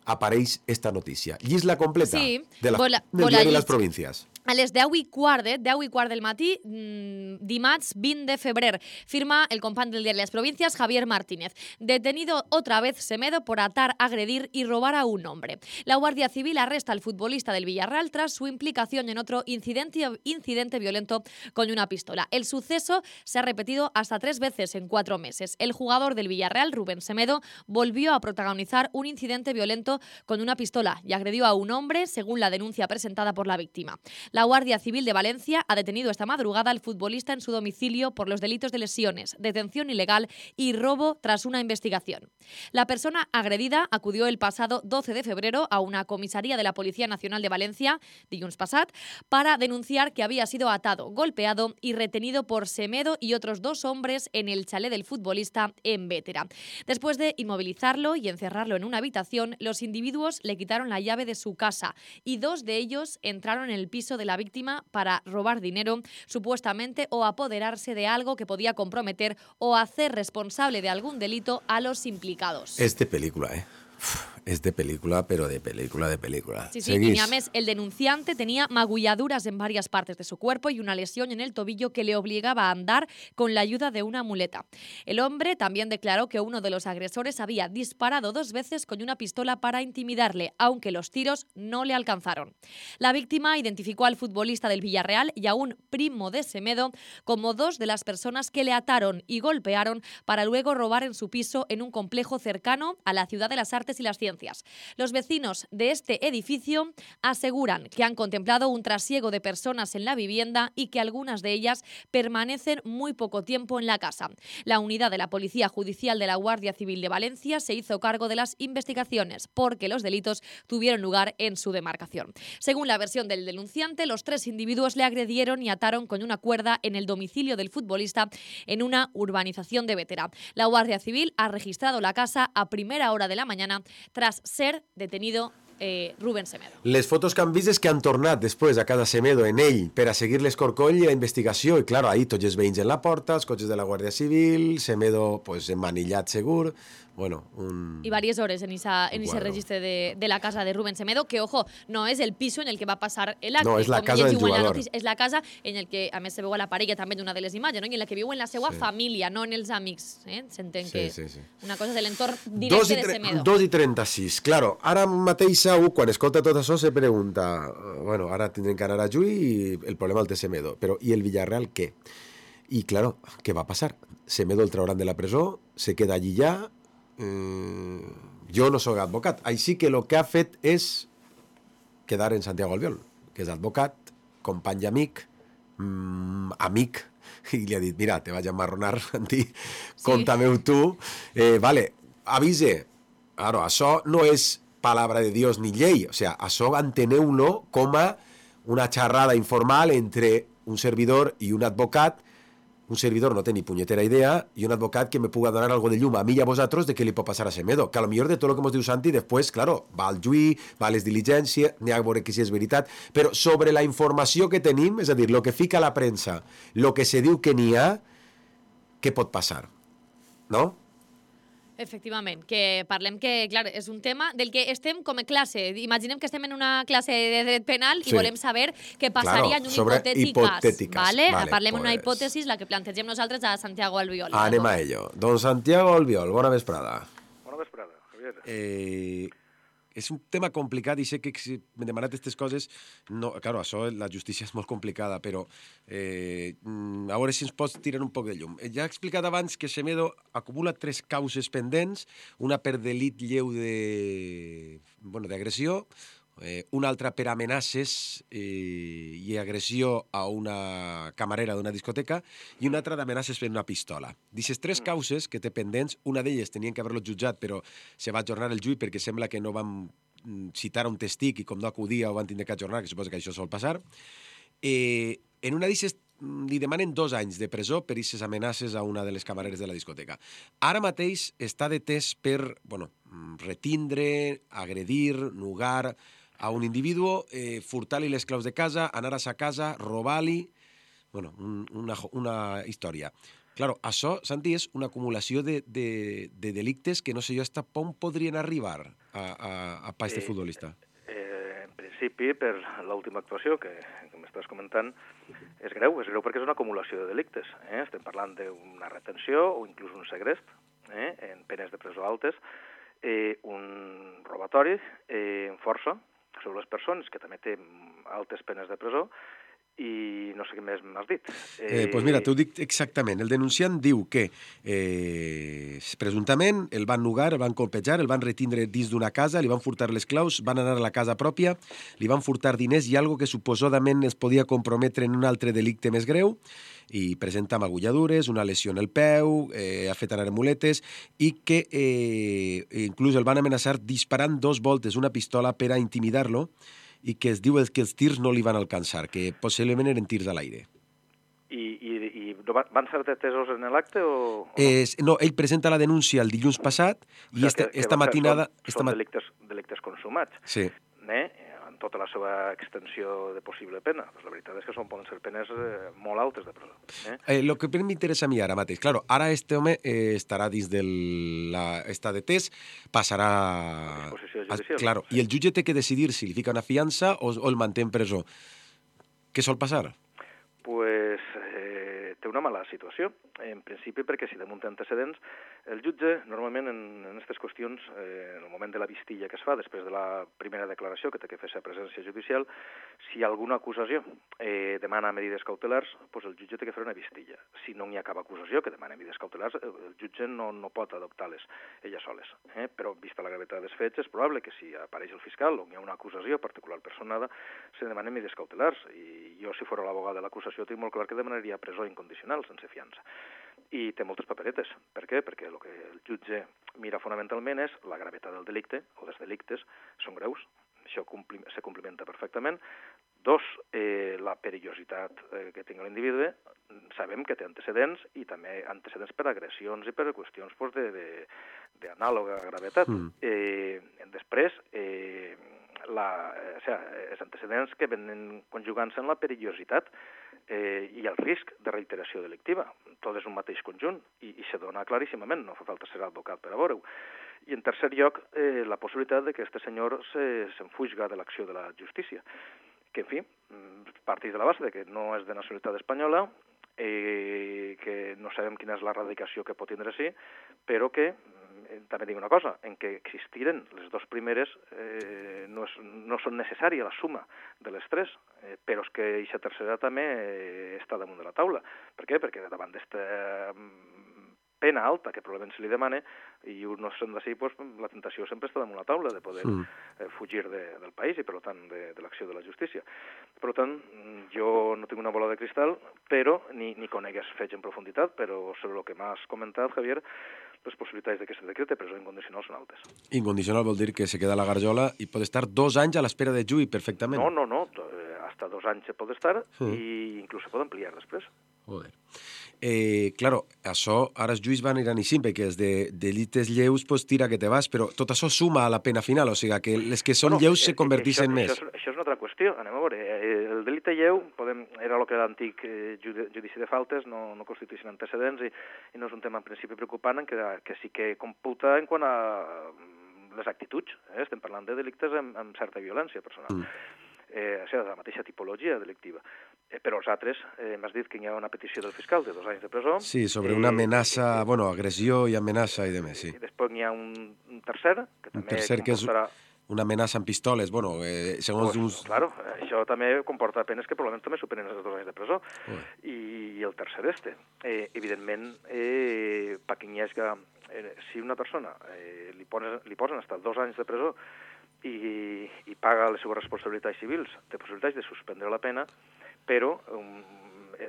apareix esta notícia. Llis-la completa sí, de la, vola, del diari Las Provincias. A les deu i quart, eh? deu i quart del matí, mmm, dimarts vint de febrer, firma el company del diario Las Provincias, Javier Martínez. Detenido otra vez Semedo por atar, agredir y robar a un hombre. La Guardia Civil arresta al futbolista del Villarreal tras su implicación en otro incidente, incidente violento con una pistola. El suceso se ha repetido hasta tres veces en cuatro meses. El jugador del Villarreal, Rubén Semedo, volvió a protagonizar un incidente violento con una pistola y agredió a un hombre, según la denuncia presentada por la víctima. La Guardia Civil de Valencia ha detenido esta madrugada al futbolista en su domicilio por los delitos de lesiones, detención ilegal y robo tras una investigación. La persona agredida acudió el pasado doce de febrero a una comisaría de la Policía Nacional de Valencia, dilluns passat, para denunciar que había sido atado, golpeado y retenido por Semedo y otros dos hombres en el chalet del futbolista en Bétera. Después de inmovilizarlo y encerrarlo en una habitación, los individuos le quitaron la llave de su casa y dos de ellos entraron en el piso de la víctima para robar dinero, supuestamente, o apoderarse de algo que podía comprometer o hacer responsable de algún delito a los implicados. És de pel·lícula, eh? Uf, és de pel·lícula, però de pel·lícula, de pel·lícula. Sí, sí, y a mes, el denunciante tenía magulladuras en varias partes de su cuerpo y una lesión en el tobillo que le obligaba a andar con la ayuda de una muleta. El hombre también declaró que uno de los agresores había disparado dos veces con una pistola para intimidarle, aunque los tiros no le alcanzaron. La víctima identificó al futbolista del Villarreal y a un primo de Semedo como dos de las personas que le ataron y golpearon para luego robar en su piso en un complejo cercano a la Ciudad de las Artes y las Ciencias. Los vecinos de este edificio aseguran que han contemplado un trasiego de personas en la vivienda y que algunas de ellas permanecen muy poco tiempo en la casa. La unidad de la Policía Judicial de la Guardia Civil de Valencia se hizo cargo de las investigaciones porque los delitos tuvieron lugar en su demarcación. Según la versión del denunciante, los tres individuos le agredieron y ataron con una cuerda en el domicilio del futbolista en una urbanización de Bétera. La Guardia Civil ha registrado la casa a primera hora de la mañana tras ser detenido eh, Rubén Semedo. Les fotos que han vist és que han tornat després a casa Semedo en ell per a seguir l'escorcoll i la investigació i, clar, ahí tots els veïns en la porta, els cotxes de la Guàrdia Civil, Semedo pues, emmanillat segur. Bueno, un... Y varias horas en, esa, en ese registro de, de la casa de Rubén Semedo, que, ojo, no es el piso en el que va a pasar el acte. No, és la casa del jugador. És la casa en el que, a més, se veu a la parella també d'una de les imatges, no? I en la que viu en la seva Sí. família, no en els amics. Eh? S'entén Sí, que sí, sí. una cosa és l'entorn Dos directe i, de tre- Semedo. dos i trenta-sis. Claro, ara mateix segur, quan escolta tot això, se pregunta, bueno, ara tindrem que anar a Juí i el problema el té Semedo, però i el Villarreal què? I, claro, què va passar? Semedo el trauran de la presó, se queda allí ja, eh, jo no sóc advocat, així que el que ha fet és quedar en Santiago Albiol, que és advocat, company i amic, mm, amic, i li ha dit, mira, te vaig a marronar, Santi, sí. Conta-me-ho tu, eh, vale, avise, claro, això no és palabra de Dios ni llei, o sea, això enteneu-lo com a una xerrada informal entre un servidor i un advocat. Un servidor no té ni punyetera idea i un advocat que me puga donar algo de llum a mi i a vosaltres de què li pot passar a Semedo. Que a lo millor de tot el que ens diu Santi, després, claro, va al juí, va a les diligències, n'hi ha a veure que si és veritat, però sobre la informació que tenim, és a dir, el que fica a la premsa, el que se diu que n'hi ha, què pot passar? No? Efectivament, que parlem que, clar, és un tema del que estem com a classe. Imaginem que estem en una classe de dret penal i Sí. volem saber què passaria Claro, en un sobre hipotètic cas. hipotètiques, Vale? vale, Parlem d'una pues- hipòtesi, la que plantegem nosaltres a Santiago Albiol. Anem a ello. Don Santiago Albiol, bona vesprada. Bona vesprada, Javier. Eh, és un tema complicat i sé que si m'he demanat aquestes coses, no, claro, això, la justícia és molt complicada, però eh, a veure si ens pots tirar un poc de llum. Ja he explicat abans que Semedo acumula tres causes pendents, una per delit lleu de, bueno, d'agressió, eh, una altra per amenaces eh, i agressió a una camarera d'una discoteca i una altra d'amenaces per una pistola. D'aquestes tres causes que té pendents, una d'elles tenien que haver-lo jutjat, però se va ajornar el juí perquè sembla que no van citar un testic i com no acudia ho van tindre que ajornar, que suposo que això sol passar. Eh, en una d'aquestes li demanen dos anys de presó per aquestes amenaces a una de les camareres de la discoteca. Ara mateix està detès per, bueno, retindre, agredir, nugar a un individu, eh, furtar-li les claus de casa, anar a sa casa, robar-li... Bueno, un, una, una història. Claro, això, Santi, és una acumulació de, de, de delictes que no sé jo hasta on podrien arribar a, a, a pa este Eh, futbolista. Eh, en principi, per l'última actuació que, que m'està estàs comentant, és greu, és greu perquè és una acumulació de delictes. Eh? Estem parlant d'una retenció o inclús un segrest, eh? en penes de presó altes, eh, un robatori eh, en força sobre les persones, que també té altes penes de presó, i no sé què més m'has dit. Eh, eh, pues mira, t'ho dic exactament. El denunciant diu que eh, presumptament el van nugar, el van colpejar, el van retindre dins d'una casa, li van furtar les claus, van anar a la casa pròpia, li van furtar diners i algo que suposadament es podia comprometre en un altre delicte més greu, i presenta magulladures, una lesió en el peu, eh, ha fet anar muletes, i que eh, inclús el van amenaçar disparant dos voltes una pistola per a intimidar-lo, i que es diu que els tirs no li van alcançar, que possiblement eren tirs a l'aire. I, i, i van ser detesos en l'acte o, o no? Es, no, ell presenta la denúncia el dilluns passat i o sigui, esta, que, que esta matinada... Són, esta són ma... delictes, delictes consumats. Sí. Eh? En tota la seva extensió de possible pena. Pues la veritat és que són, poden ser penes eh, molt altes de presó. Eh? Eh, lo que m'interessa a mi ara mateix, claro, ara este home eh, estarà dins del... La, està detès, passarà... A disposició judicial. A, claro, sí. I el jutge té que decidir si li fica una fiança o, o el manté en presó. Què sol passar? Pues eh, té una mala situació, en principi perquè si damunt té antecedents, el jutge normalment en aquestes qüestions, eh, en el moment de la vistilla que es fa, després de la primera declaració que té que fer-se a presència judicial, si alguna acusació eh, demana medides cautelars, pues el jutge té que fer una vistilla. Si no hi ha cap acusació que demana medides cautelars, el jutge no, no pot adoptar-les elles soles. Eh? Però, vista la gravetat dels fets, és probable que si apareix el fiscal o hi ha una acusació particular personada, se demanen medides cautelars. I jo, si fos l'abogat de l'acusació, tinc molt clar que demanaria presó incondicional, sense fiança. I té moltes paperetes. Per què? Perquè el que el jutge mira fonamentalment és la gravetat del delicte, o dels delictes, són greus, això compli se complimenta perfectament. Dos, eh, la perillositat eh, que tinga l'individu, sabem que té antecedents, i també antecedents per agressions i per qüestions pues, d'anàloga gravetat. Mm. Eh, després, eh, la, o sea, els antecedents que venen conjugant-se en la perillositat eh, i el risc de reiteració delictiva. Tot és un mateix conjunt i, i se dona claríssimament, no fa falta ser advocat per a veure-ho. I en tercer lloc, eh, la possibilitat de que este senyor s'enfuiga de l'acció de la justícia, que, en fi, parteix de la base de que no és de nacionalitat espanyola, eh, que no sabem quina és la radicació que pot tindre sí, però que també dic una cosa, en què existiren les dues primeres eh, no, és, no són necessàries la suma de les tres, eh, però és que aquesta tercera també eh, està damunt de la taula. Per què? Perquè davant d'esta eh, pena alta que probablement se li demana, i no sent d'ací, pues, la tentació sempre està damunt la taula de poder mm. eh, fugir de, del país i, per tant, de, de l'acció de la justícia. Per tant, jo no tinc una bola de cristal, però ni, ni conegues fets en profunditat, però sobre el que m'has comentat, Javier, les possibilitats de que se decrete presó incondicional són altes. Incondicional vol dir que se queda a la garjola i pot estar dos anys a l'espera de juí perfectament. No, no, no. Hasta dos anys se pot estar mm. i inclús se pot ampliar després. Joder. Eh, claro, això, ara els juís van anar així, perquè els de delites lleus, pues tira que te vas, però tot això suma a la pena final, o sigui, que les que són bueno, lleus se converteixen això, més. Això, això és una altra qüestió, anem a veure. El delicte lleu podem, era el que era l'antic judici de faltes, no, no constitueixen antecedents i, i no és un tema en principi preocupant, en que, que sí que computa en quant a les actituds. Eh? Estem parlant de delictes amb, amb certa violència personal. Mm. Eh, o sigui, de la mateixa tipologia delictiva. Eh, però els altres, eh, m'has dit que hi ha una petició del fiscal de dos anys de presó. Sí, sobre una amenaça, eh, bueno, agressió i amenaça i demés, sí. I després hi ha un, un tercer, que també un tercer comportarà... que és una amenaça amb pistoles, bueno, eh, segons pues, uns... Claro, això també comporta penes que probablement també superen els dos anys de presó. Uh. I, I el tercer este. Eh, evidentment, eh, paquinyesga, eh, si una persona eh, li, pones, li posen estar dos anys de presó i, i paga les seves responsabilitats civils, té possibilitats de suspendre la pena, però um,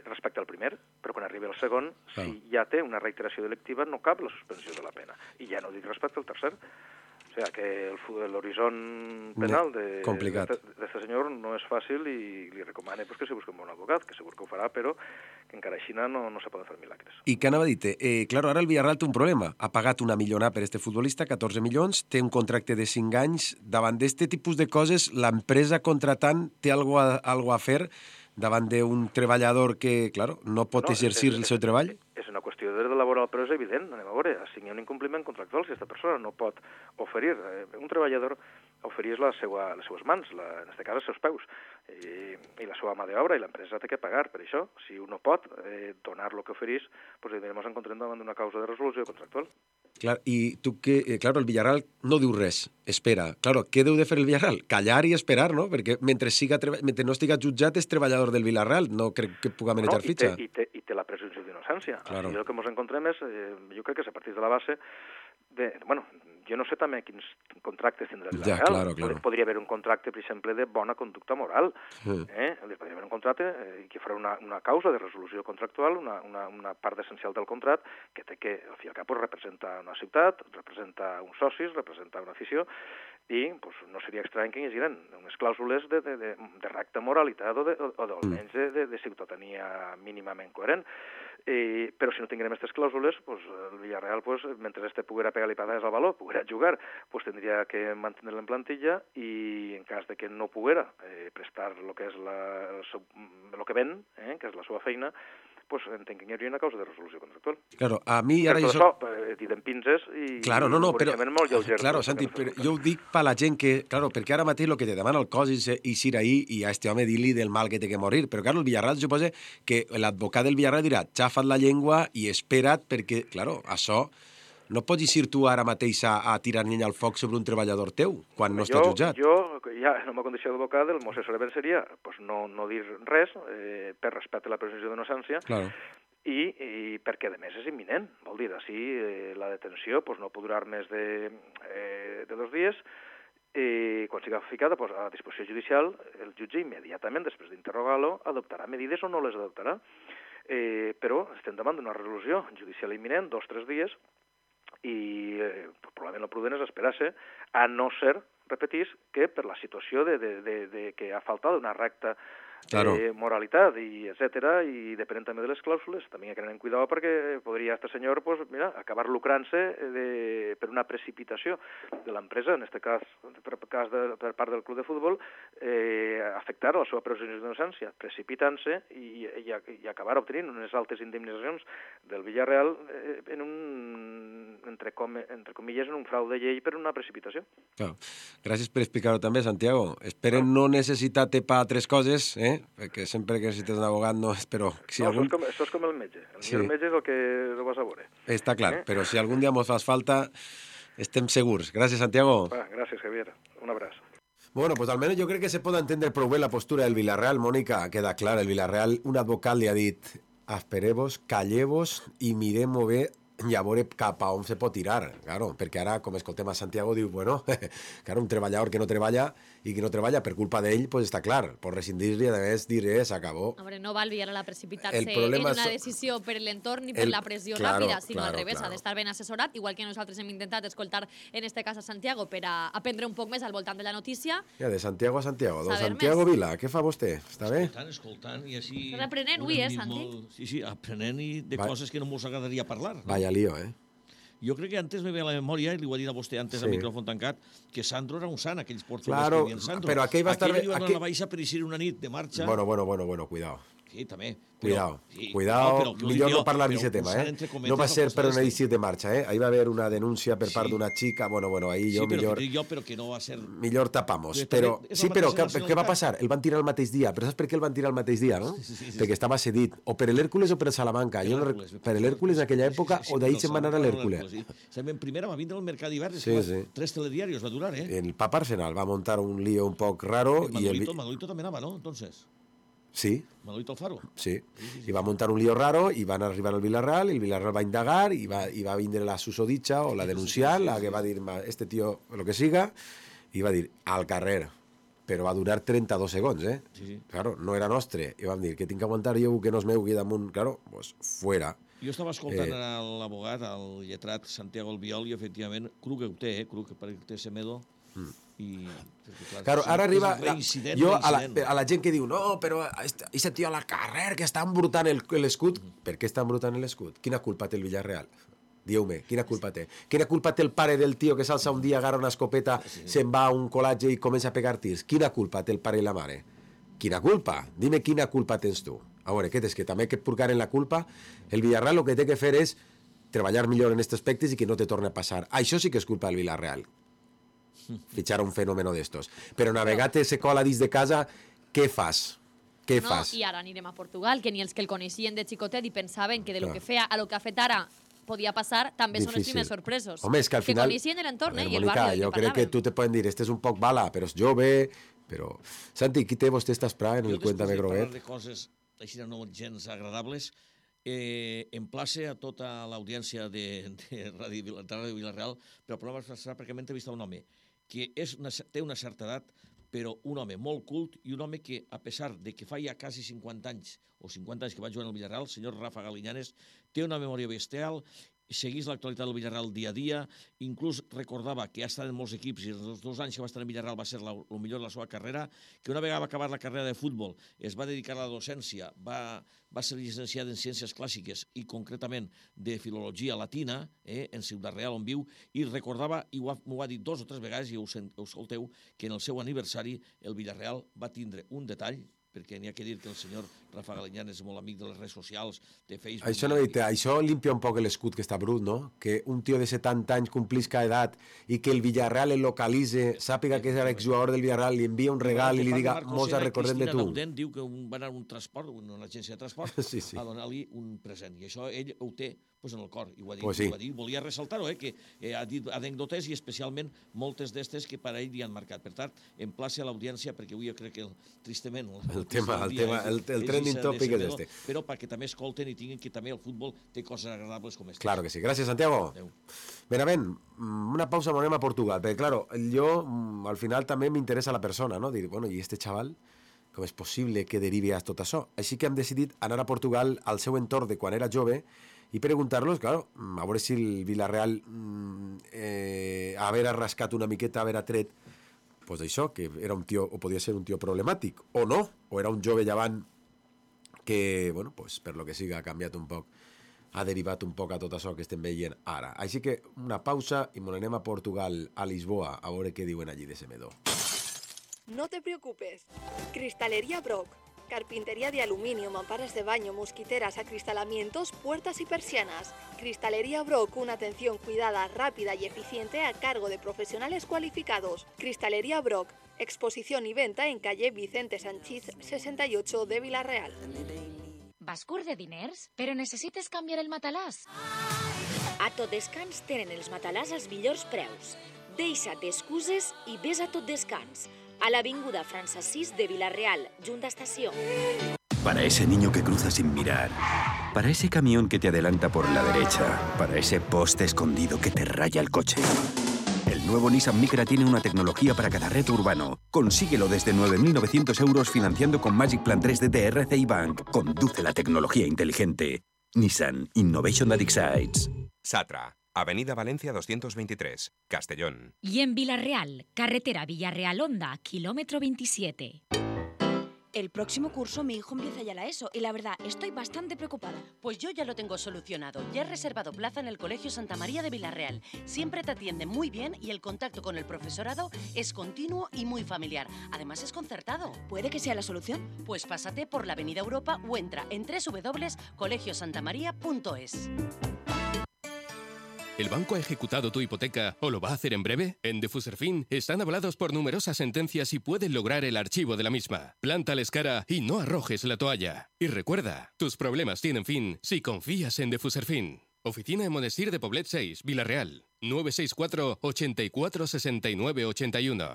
respecte al primer, però quan arribi al segon, ah. si ja té una reiteració delictiva, no cap la suspensió de la pena. I ja no dic respecte al tercer. O sigui, que l'horitzont penal d'aquest senyor no és fàcil i li recomana pues, que se busqui un bon advocat, que segur que ho farà, però que encara així no, no se poden fer milagres. I què anava a dir-te? Eh, claro, ara el Villarreal té un problema. Ha pagat una milionà per este futbolista, catorze milions, té un contracte de cinc anys. Davant d'aquest tipus de coses, l'empresa contratant té algo a, algo a fer davant d'un treballador que, claro, no pot no, exercir és, el seu treball? És una qüestió de dret laboral no, però és evident, anem a veure, si hi ha un incompliment contractual, si aquesta persona no pot oferir, eh, un treballador oferís la seva, les seues mans, la, en aquest cas els seus peus, i, i la seva mà d'obra, i l'empresa té que pagar per això. Si un no pot eh, donar el que oferís, pues ens encontrem davant d'una causa de resolució contractual. Clar, i tu que, eh, claro, el Villarreal no diu res, espera. Claro, què deu de fer el Villarreal? Callar i esperar, no? Perquè mentre, siga, mentre no estiga jutjat és treballador del Villarreal, no crec que puga manejar no, fitxa. I té, i, té, I té la presumpció d'innocència. Claro. Així el que ens encontrem és, eh, jo crec que és a partir de la base de, bueno, jo no sé també quins contractes tindrà el Villarreal. Ja, claro, claro. Podria haver un contracte, per exemple, de bona conducta moral. Sí. Eh? Podria haver un contracte eh, que farà una, una causa de resolució contractual, una, una, una part essencial del contracte, que té que, al fi i al cap, pues, representa una ciutat, representa uns socis, representa una afició, i pues, no seria estrany que hi haguessin unes clàusules de, de, de, de recta moralitat o, de, o, o almenys de, de, de ciutadania mínimament coherent. Eh, però si no tinguem aquestes clàusules, pues, el Villarreal, pues, mentre este poguera pegar-li patades al baló, poguera jugar, pues, tindria que mantenir-lo en plantilla i en cas de que no poguera eh, prestar el que és la, el, seu, el que ven, eh, que és la seva feina, pues entenc que hi hauria una causa de resolució contractual. Claro, a mi ara... Per jo tot això, eh, dit en pinces i claro, no, no, un però, molt lleuger. Claro, Santi, però jo ho dic per la gent que... Claro, perquè ara mateix el que te demana el cos és ir ahí i a este home dir-li del mal que té que morir. Però, claro, el Villarreal suposa que l'advocat del Villarreal dirà xafa't la llengua i espera't perquè, claro, això... No pots ir tu ara mateix a, a tirar llenya al foc sobre un treballador teu, quan no jo, està jutjat. Jo, ja, en la meva condició d'advocat, el meu assessorament seria pues, no, no dir res eh, per respecte a la presumpció d'innocència, claro. I, i perquè, a més, és imminent. Vol dir, així, eh, la detenció pues, no pot durar més de, eh, de dos dies, i quan siga ficada pues, a disposició judicial, el jutge immediatament, després d'interrogar-lo, adoptarà medides o no les adoptarà. Eh, però estem davant d'una resolució judicial imminent, dos o tres dies, i eh, probablement el prudent és esperar-se, a no ser, repetís, que per la situació de, de, de, de que ha faltat una recta claro. eh, moralitat, i etcètera, i depenent també de les clàusules, també hi ha que tenir cuidado perquè podria este senyor pues, mira, acabar lucrant-se de, per una precipitació de l'empresa, en aquest cas, per, cas de, per part del club de futbol, eh, afectar la seva presumpció d'innocència, precipitant-se i, i, i acabar obtenint unes altes indemnitzacions del Villarreal eh, en un, entre, com, entre comilles, en un frau de llei per una precipitació. Claro. Gràcies per explicar-ho també, Santiago. Esperen no, no necessitar-te per altres coses, eh? Perquè sempre que necessites un abogat no és, però... Si no, algun... això, és com, això és com el metge. El sí. millor metge és el que ho vas a veure. Està clar, eh? Però si algun dia mos fas falta, estem segurs. Gràcies, Santiago. Va, gràcies, Javier. Un abraç. Bueno, pues al menos yo creo que se puede entender prou bé la postura del Villarreal, Mónica. Queda clara, el Villarreal, un advocat li ha dit espereu-vos, calleu-vos i mirem-ho bé i a veure cap a on se pot tirar, claro, perquè ara, com escoltem a Santiago, diu, bueno, claro, un treballador que no treballa i que no treballa per culpa d'ell, pues està clar, pot rescindir-li, a més, dir, eh, s'acabó. Hombre, no va el Villarreal a precipitar-se en una so... decisió per l'entorn ni per el... la pressió claro, ràpida, sinó claro, al revés, claro. ha d'estar ben assessorat, igual que nosaltres hem intentat escoltar en este cas a Santiago per a aprendre un poc més al voltant de la notícia. Ja, de Santiago a Santiago. Don Saber Santiago més. Vila, què fa vostè? Està bé? Escoltant, escoltant, i així... Estàs aprenent avui, eh, Santi? Molt... Sí, sí, aprenent i de Va... coses que no mos agradaria parlar. No? Vaya lío, eh? Jo crec que antes me ve a la memòria, i li ho ha dit a vostè antes Sí. al micròfon tancat, que Sandro era un sant, aquells portuguesos Claro, que havien Sandro. però aquell va estar Aquell bé- li van donar aquell- la baixa per eixir una nit de marxa. Bueno, bueno, bueno, bueno, cuidado. Sí, també. Cuidado, sí, cuidado, però, però, millor jo, no parlar però d'aquest tema, posant eh? entre cometes No va el ser posar per una este. eixir de marxa, eh? Ahí va haver una denúncia per part Sí. d'una xica, bueno, bueno, ahí Sí, jo però, millor... que dic jo, però que no va ser... Millor tapamos, Però però... també és Sí, la però mateixa què, què va nacionalitat. passar? El van tirar el mateix dia, però saps per què el van tirar el mateix dia, no? Sí, sí, sí, sí. Perquè estava cedit, o per l'Hèrcules o per el Salamanca. Jo no rec... Per l'Hèrcules en aquella època, o d'ahir se'n va anar a l'Hèrcules. Estem en primera, va vindre al mercat d'hivern, Sí, sí. tres telediarios va durar, eh? El Papa Arsenal va montar un lío un poc raro i el... Manolito, Manolito també anava, no? Entonces, Sí, Manolito Alfaro. sí. I va muntar un lío raro i van arribar al Villarreal i el Villarreal va indagar i va, i va vindre la susodicha o la denunciar, la que va dir "Ma, este tío, lo que siga, i va dir al carrer. Però va durar trenta-dos segons, eh? Sí, sí. Claro, no era nostre. I vam dir que tinc que aguantar jo que no es meu aquí damunt. Claro, pues fuera. Jo estava escoltant Eh. eh... l'abogat, el lletrat Santiago Albiol, i efectivament, cru que ho té, eh? Cru que perquè té Semedo, Mm. i... Perquè, clar, Claro, sí, ara és arriba... La, reincident, jo, a la, reincident. a la gent que diu no, però aquest tio a la carrer que està embrutant el- l'escut. Per què està embrutant l'escut? Quina culpa té el Villarreal? Dieu-me, quina culpa té? Quina culpa té el pare del tio que s'alça un dia, agarra una escopeta, se'n va a un col·latge i comença a pegar tirs? Quina culpa té el pare i la mare? Quina culpa? Dime quina culpa tens tu. A veure, què tens? Que també que et purgaren la culpa? El Villarreal el que té que fer és treballar millor en aquests aspectes i que no te torni a passar. Això sí que és culpa del Villarreal. Fitxar un fenòmeno d'estos. Però navegar se cola dins de casa, què fas? Què no, fas? I ara anirem a Portugal, que ni els que el coneixien de xicotet i pensaven que de lo Clar. que feia a lo que ha fet ara podia passar, també són els Difícil. primers sorpresos. Home, és que al final... Que coneixien l'entorn, A eh, veure, i el Mónica, barri del jo que crec que parlàvem. tu te poden dir, este és un poc bala, però és jove, però... Santi, qui té vostè esta espra en el Cuéntame Jo, després de parlar Groguet? de coses així no gens agradables, eh, emplace a tota l'audiència de, de Ràdio Vila- de Ràdio Vilareal, però el programa serà perquè m'he entrevistat un home que és una, té una certa edat, però un home molt cult i un home que, a pesar de que fa ja quasi cinquanta anys, o cinquanta anys que va jugar al Villarreal, el senyor Rafa Galiñanes, té una memòria bestial, seguís l'actualitat del Villarreal dia a dia, inclús recordava que ha estat en molts equips i els dos anys que va estar en Villarreal va ser el millor de la seva carrera, que una vegada va acabar la carrera de futbol es va dedicar a la docència, va, va ser llicenciat en Ciències Clàssiques i concretament de Filologia Latina, eh, en Ciutat Real on viu, i recordava, i ho ha, m'ho ha dit dos o tres vegades, i ho, sent, ho escolteu, que en el seu aniversari el Villarreal va tindre un detall, perquè n'hi ha que dir que el senyor Rafa Galiñán és molt amic de les redes socials, de Facebook... Això, no, això limpia un poc l'escut que està brut, no? Que un tio de setanta anys complisca edat i que el Villarreal el localitze, sàpiga que és l'exjugador del Villarreal, li envia un regal i li diga mos recordem de tu. Cristina Daudent diu que un, va anar a un transport, una agència de transport, sí, sí. a donar-li un present. I això ell ho té pues, en el cor. I ho ha dit, Pues sí. ho ha dit. Volia ressaltar-ho, eh, que eh, ha dit anècdotes i especialment moltes d'estes que per a ell li han marcat. Per tant, en plaça a l'audiència, perquè avui jo crec que el, tristament... El tema, el tema, el, el trending topic és este. Però perquè també escolten i tinguin que també el futbol té coses agradables com aquestes. Claro que sí. Gràcies, Santiago. Adéu. Benavent, una pausa, anem a Portugal, perquè, claro, jo al final també m'interessa la persona, no? Dir, bueno, i este xaval, com és possible que derivi a tot això? Així que hem decidit anar a Portugal al seu entorn de quan era jove i preguntar-los, claro, a veure si el Villarreal eh, haver rascat una miqueta, haver tret, pues això, que era un tio, o podia ser un tio problemàtic, o no, o era un jove llevant que, bueno, pues, per lo que siga, ha canviat un poc, ha derivat un poc a tot això que estem veient ara. Així que una pausa i m'on anem a Portugal, a Lisboa, a veure què diuen allí de Semedo. No te preocupes. Cristalería Brock. Carpintería de aluminio, mamparas de baño, mosquiteras, acristalamientos, puertas y persianas. Cristalería Brock, una atención cuidada, rápida y eficiente a cargo de profesionales cualificados. Cristalería Brock, exposición y venta en calle Vicente Sanchís sesenta y ocho de Vila-real. Vas curt de diners? Però necessites canviar el matalàs? A Tot Descans tenen els matalàs als millors preus. Deixa't d'excuses i ves a Tot Descans. A l'avinguda França sis de Vila-real, junta estació. Para ese niño que cruza sin mirar, para ese camión que te adelanta por la derecha, para ese poste escondido que te raya el coche. El nuevo Nissan Micra tiene una tecnología para cada reto urbano. Consíguelo desde nueve mil novecientos euros financiando con Magic Plan tres D de R C I Bank. Conduce la tecnología inteligente. Nissan Innovation that excites. Satra, Avenida Valencia doscientos veintitrés, Castellón. Y en Villarreal, carretera Villarreal-Honda, kilómetro veintisiete. El próximo curso mi hijo empieza ya la ESO y la verdad estoy bastante preocupada. Pues yo ya lo tengo solucionado. Ya he reservado plaza en el Colegio Santa María de Villarreal. Siempre te atienden muy bien y el contacto con el profesorado es continuo y muy familiar. Además es concertado. ¿Puede que sea la solución? Pues pásate por la Avenida Europa o entra en doble u doble u doble u punto colegio santa maría punto es. ¿El banco ha ejecutado tu hipoteca o lo va a hacer en breve? En Defuserfin están avalados por numerosas sentencias y pueden lograr el archivo de la misma. Plántales cara y no arrojes la toalla. Y recuerda, tus problemas tienen fin si confías en Defuserfin. Oficina en Monestir de Poblet seis, Vila-real. nueve seis cuatro, ochenta y cuatro, sesenta y nueve, ochenta y uno.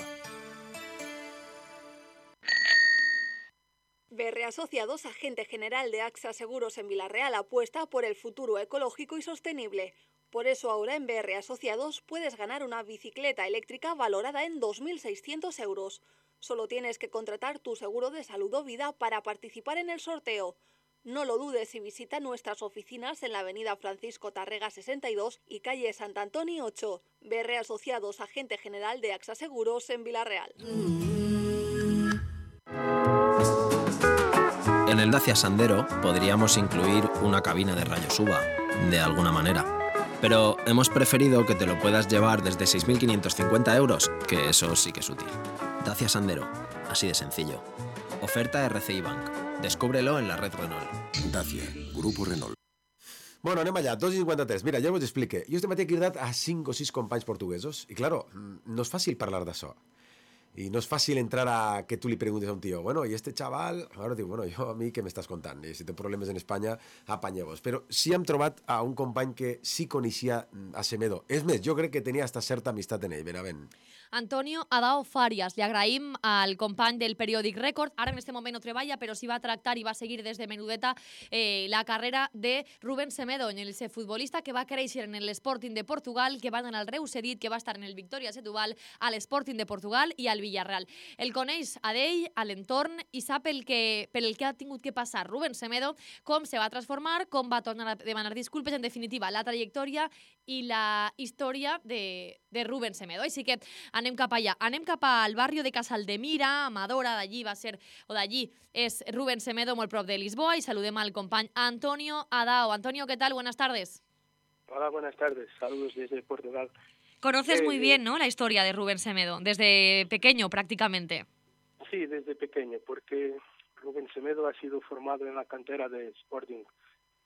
B R Asociados, agente general de AXA Seguros en Vila-real, apuesta por el futuro ecológico y sostenible. Por eso ahora en B R Asociados puedes ganar una bicicleta eléctrica valorada en dos mil seiscientos euros. Solo tienes que contratar tu seguro de salud o vida para participar en el sorteo. No lo dudes y visita nuestras oficinas en la avenida Francisco Tarrega sesenta y dos y calle Sant Antoni ocho. B R Asociados, agente general de AXA Seguros en Vila-real. En el Dacia Sandero podríamos incluir una cabina de rayos U V A, de alguna manera. Pero hemos preferido que te lo puedas llevar desde seis mil quinientos cincuenta euros, que eso sí que es útil. Dacia Sandero, así de sencillo. Oferta R C I Bank. Descúbrelo en la red Renault. Dacia, Grupo Renault. Bueno, anem allà, dos i cinquanta-tres. Mira, ja us explique. Jo este matí he cridat a cinc o sis companys portuguesos i, claro, no és fàcil parlar d'això. Y no es fácil entrar a que tú le preguntes a un tío, bueno, y este chaval, ahora digo, bueno, yo a mí ¿qué me estás contando? Y si tengo problemas en España, apanyeu-vos. Però sí hem trobat a un company que sí coneixia a Semedo. És més, jo crec que tenia hasta certa amistat en ell, Benavent. Antonio Adao Farias. Li agraïm al company del periòdic Rècord. Ara en aquest moment no treballa, però sí va tractar i va seguir des de menudeta eh, la carrera de Rubén Semedo, el futbolista que va créixer en l'Sporting de Portugal, que va anar al Reus Cedit, que va estar en el Victoria Setúbal, a l'Sporting de Portugal i al Villarreal. El coneix a d'ell, a l'entorn, i sap el que, per el que ha tingut que passar Rubén Semedo, com se va transformar, com va tornar a demanar disculpes, en definitiva, la trajectòria i la història de, de Rubén Semedo. Així que anem cap allà. Anem cap al barri de Casaldemira, Amadora, d'allí va ser, o d'allí és Rubén Semedo, molt prop de Lisboa, i saludem al company Antonio Adao. Antonio, ¿qué tal? Buenas tardes. Hola, buenas tardes. Saludos desde Portugal. Conoces eh, muy bien, ¿no?, la historia de Rubén Semedo, desde pequeño prácticamente. Sí, desde pequeño, porque Rubén Semedo ha sido formado en la cantera de Sporting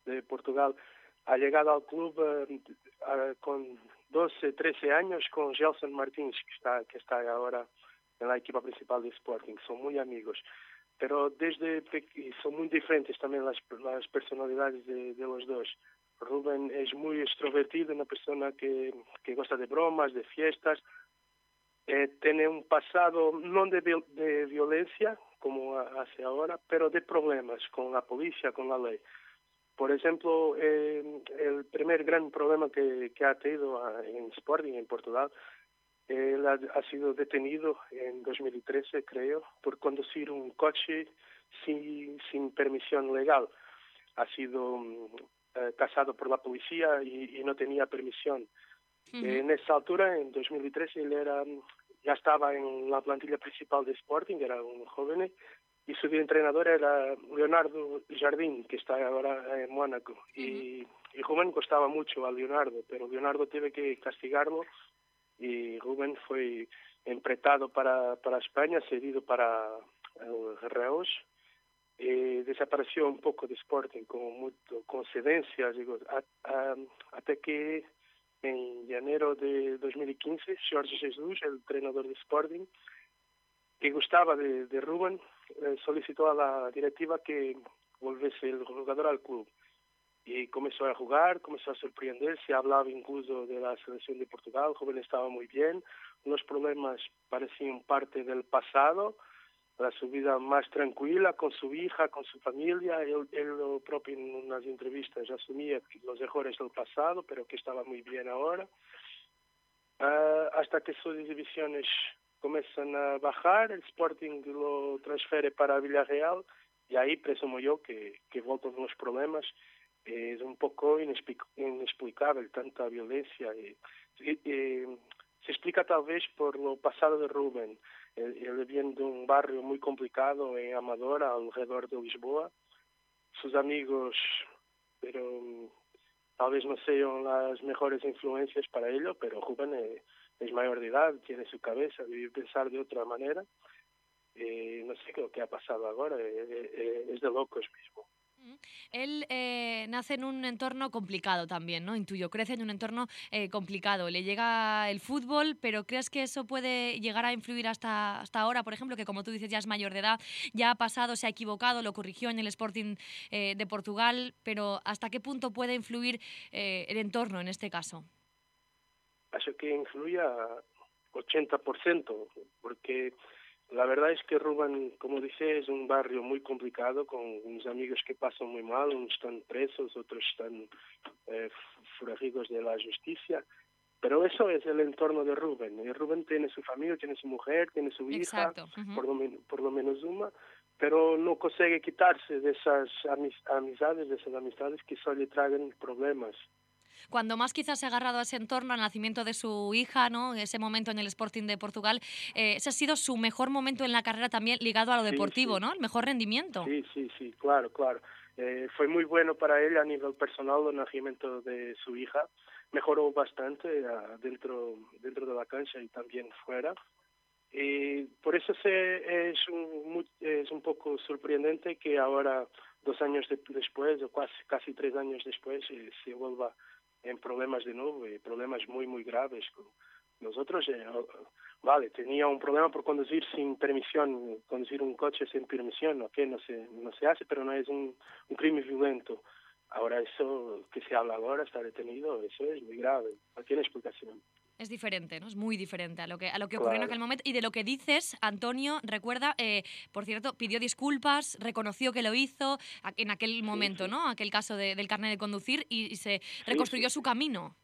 de Portugal. Ha llegado al club eh, uh, con doce, trece años con Gelson Martins, que está, que está ahora en la equipa principal de Sporting. Son muy amigos. Pero desde pe- son muy diferentes también las, las personalidades de, de los dos. Rubén es muy extrovertido, una persona que, que gosta de bromas, de fiestas. Eh, tiene un pasado no de, de violencia, como hace ahora, pero de problemas con la policía, con la ley. Por ejemplo, eh, el primer gran problema que, que ha tenido en Sporting, en Portugal, él ha, ha sido detenido en dos mil trece, creo, por conducir un coche sin, sin permisión legal. Ha sido eh, tasado por la policía y, y no tenía permisión. Uh-huh. En esa altura, en dos mil trece, él era, ya estaba en la plantilla principal de Sporting, era un joven, y su entrenador era Leonardo Jardim, que está ahora en Mónaco. Uh-huh. Y, y Rubén costaba mucho a Leonardo, pero Leonardo tuvo que castigarlo y Rubén fue empretado para, para España, cedido para el Reus. Eh, desapareció un poco de Sporting con, mucho, con cedencias, digo, a, a, hasta que en enero de dos mil quince, Jorge Jesus, el entrenador de Sporting, que gustaba de, de Rubén, eh, solicitó a la directiva que volviese el jugador al club. Y comenzó a jugar, comenzó a sorprender, se hablaba incluso de la selección de Portugal, el joven estaba muy bien, los problemas parecían parte del pasado, la su vida más tranquila con su hija, con su familia. Él, él propio en unas entrevistas asumía los errores del pasado, pero que estaba muy bien ahora. Uh, hasta que sus divisiones comienzan a bajar, el Sporting lo transfiere para Villarreal y ahí presumo yo que, que voltan los problemas. Es un poco inexplic- inexplicable tanta violencia. Y, y, y, se explica tal vez por lo pasado de Rubén. Él, él viene de un barrio muy complicado en Amadora, alrededor de Lisboa. Sus amigos, pero tal vez no sean las mejores influencias para ello, pero Rubén es, es mayor de edad, tiene su cabeza, debe pensar de otra manera. Eh, no sé lo que ha pasado ahora, eh, eh, es de locos mismo. Él eh, nace en un entorno complicado también, ¿no? Intuyo, crece en un entorno eh, complicado. Le llega el fútbol, pero ¿crees que eso puede llegar a influir hasta, hasta ahora? Por ejemplo, que como tú dices, ya es mayor de edad, ya ha pasado, se ha equivocado, lo corrigió en el Sporting eh, de Portugal, pero ¿hasta qué punto puede influir eh, el entorno en este caso? Acho que influye a ochenta por ciento, porque la verdad es que Rubén, como dice, es un barrio muy complicado, con unos amigos que pasan muy mal, unos están presos, otros están eh, forajidos de la justicia. Pero eso es el entorno de Rubén. Y Rubén tiene su familia, tiene su mujer, tiene su hija, uh-huh. por, lo men- por lo menos una, pero no consigue quitarse de esas amis- amistades, de esas amistades que solo le traen problemas. Cuando más quizás se ha agarrado a ese entorno, al nacimiento de su hija, ¿no? Ese momento en el Sporting de Portugal, eh, ese ha sido su mejor momento en la carrera también ligado a lo sí, deportivo, sí. ¿no? El mejor rendimiento. Sí, sí, sí, claro, claro. Eh, fue muy bueno para él a nivel personal el nacimiento de su hija. Mejoró bastante uh, dentro, dentro de la cancha y también fuera. Y por eso se, es, un, es un poco sorprendente que ahora, dos años de, después, o casi, casi tres años después, eh, se vuelva en problemas de nuevo, y problemas muy, muy graves. Nosotros, eh, vale, tenía un problema por conducir sin permisión, conducir un coche sin permisión, ¿ok? No se, no se hace, pero no es un, un crimen violento. Ahora eso que se habla ahora, está detenido, eso es muy grave, no tiene explicación. Es diferente, ¿no? Es muy diferente a lo que a lo que ocurrió Claro. en aquel momento. Y de lo que dices, Antonio, recuerda, eh, por cierto, pidió disculpas, reconoció que lo hizo a- en aquel momento, sí. ¿no? Aquel caso de- del carnet de conducir y, y se Sí, reconstruyó sí, su camino.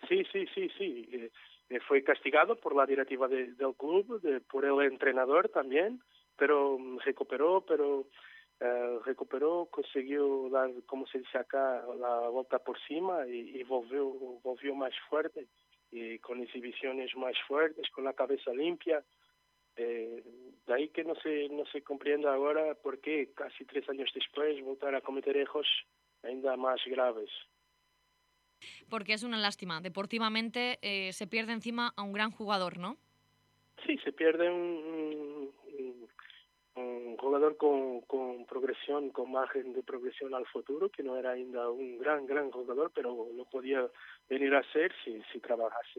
Sí, sí, sí, sí. Eh, eh, fue castigado por la directiva de- del club, de, por el entrenador también, pero mm, recuperó, pero eh, recuperó, consiguió dar, como se dice acá, la vuelta por cima y, y volvió, volvió más fuerte, y con exhibiciones más fuertes, con la cabeza limpia. Eh, de ahí que no se, no se comprende ahora por qué casi tres años después voltar a cometer errores ainda más graves. Porque es una lástima. Deportivamente eh, se pierde encima a un gran jugador, ¿no? Sí, se pierde un, un, un jugador con, con progresión, con margen de progresión al futuro, que no era ainda un gran, gran jugador, pero lo podía venir a ser si, si trabajase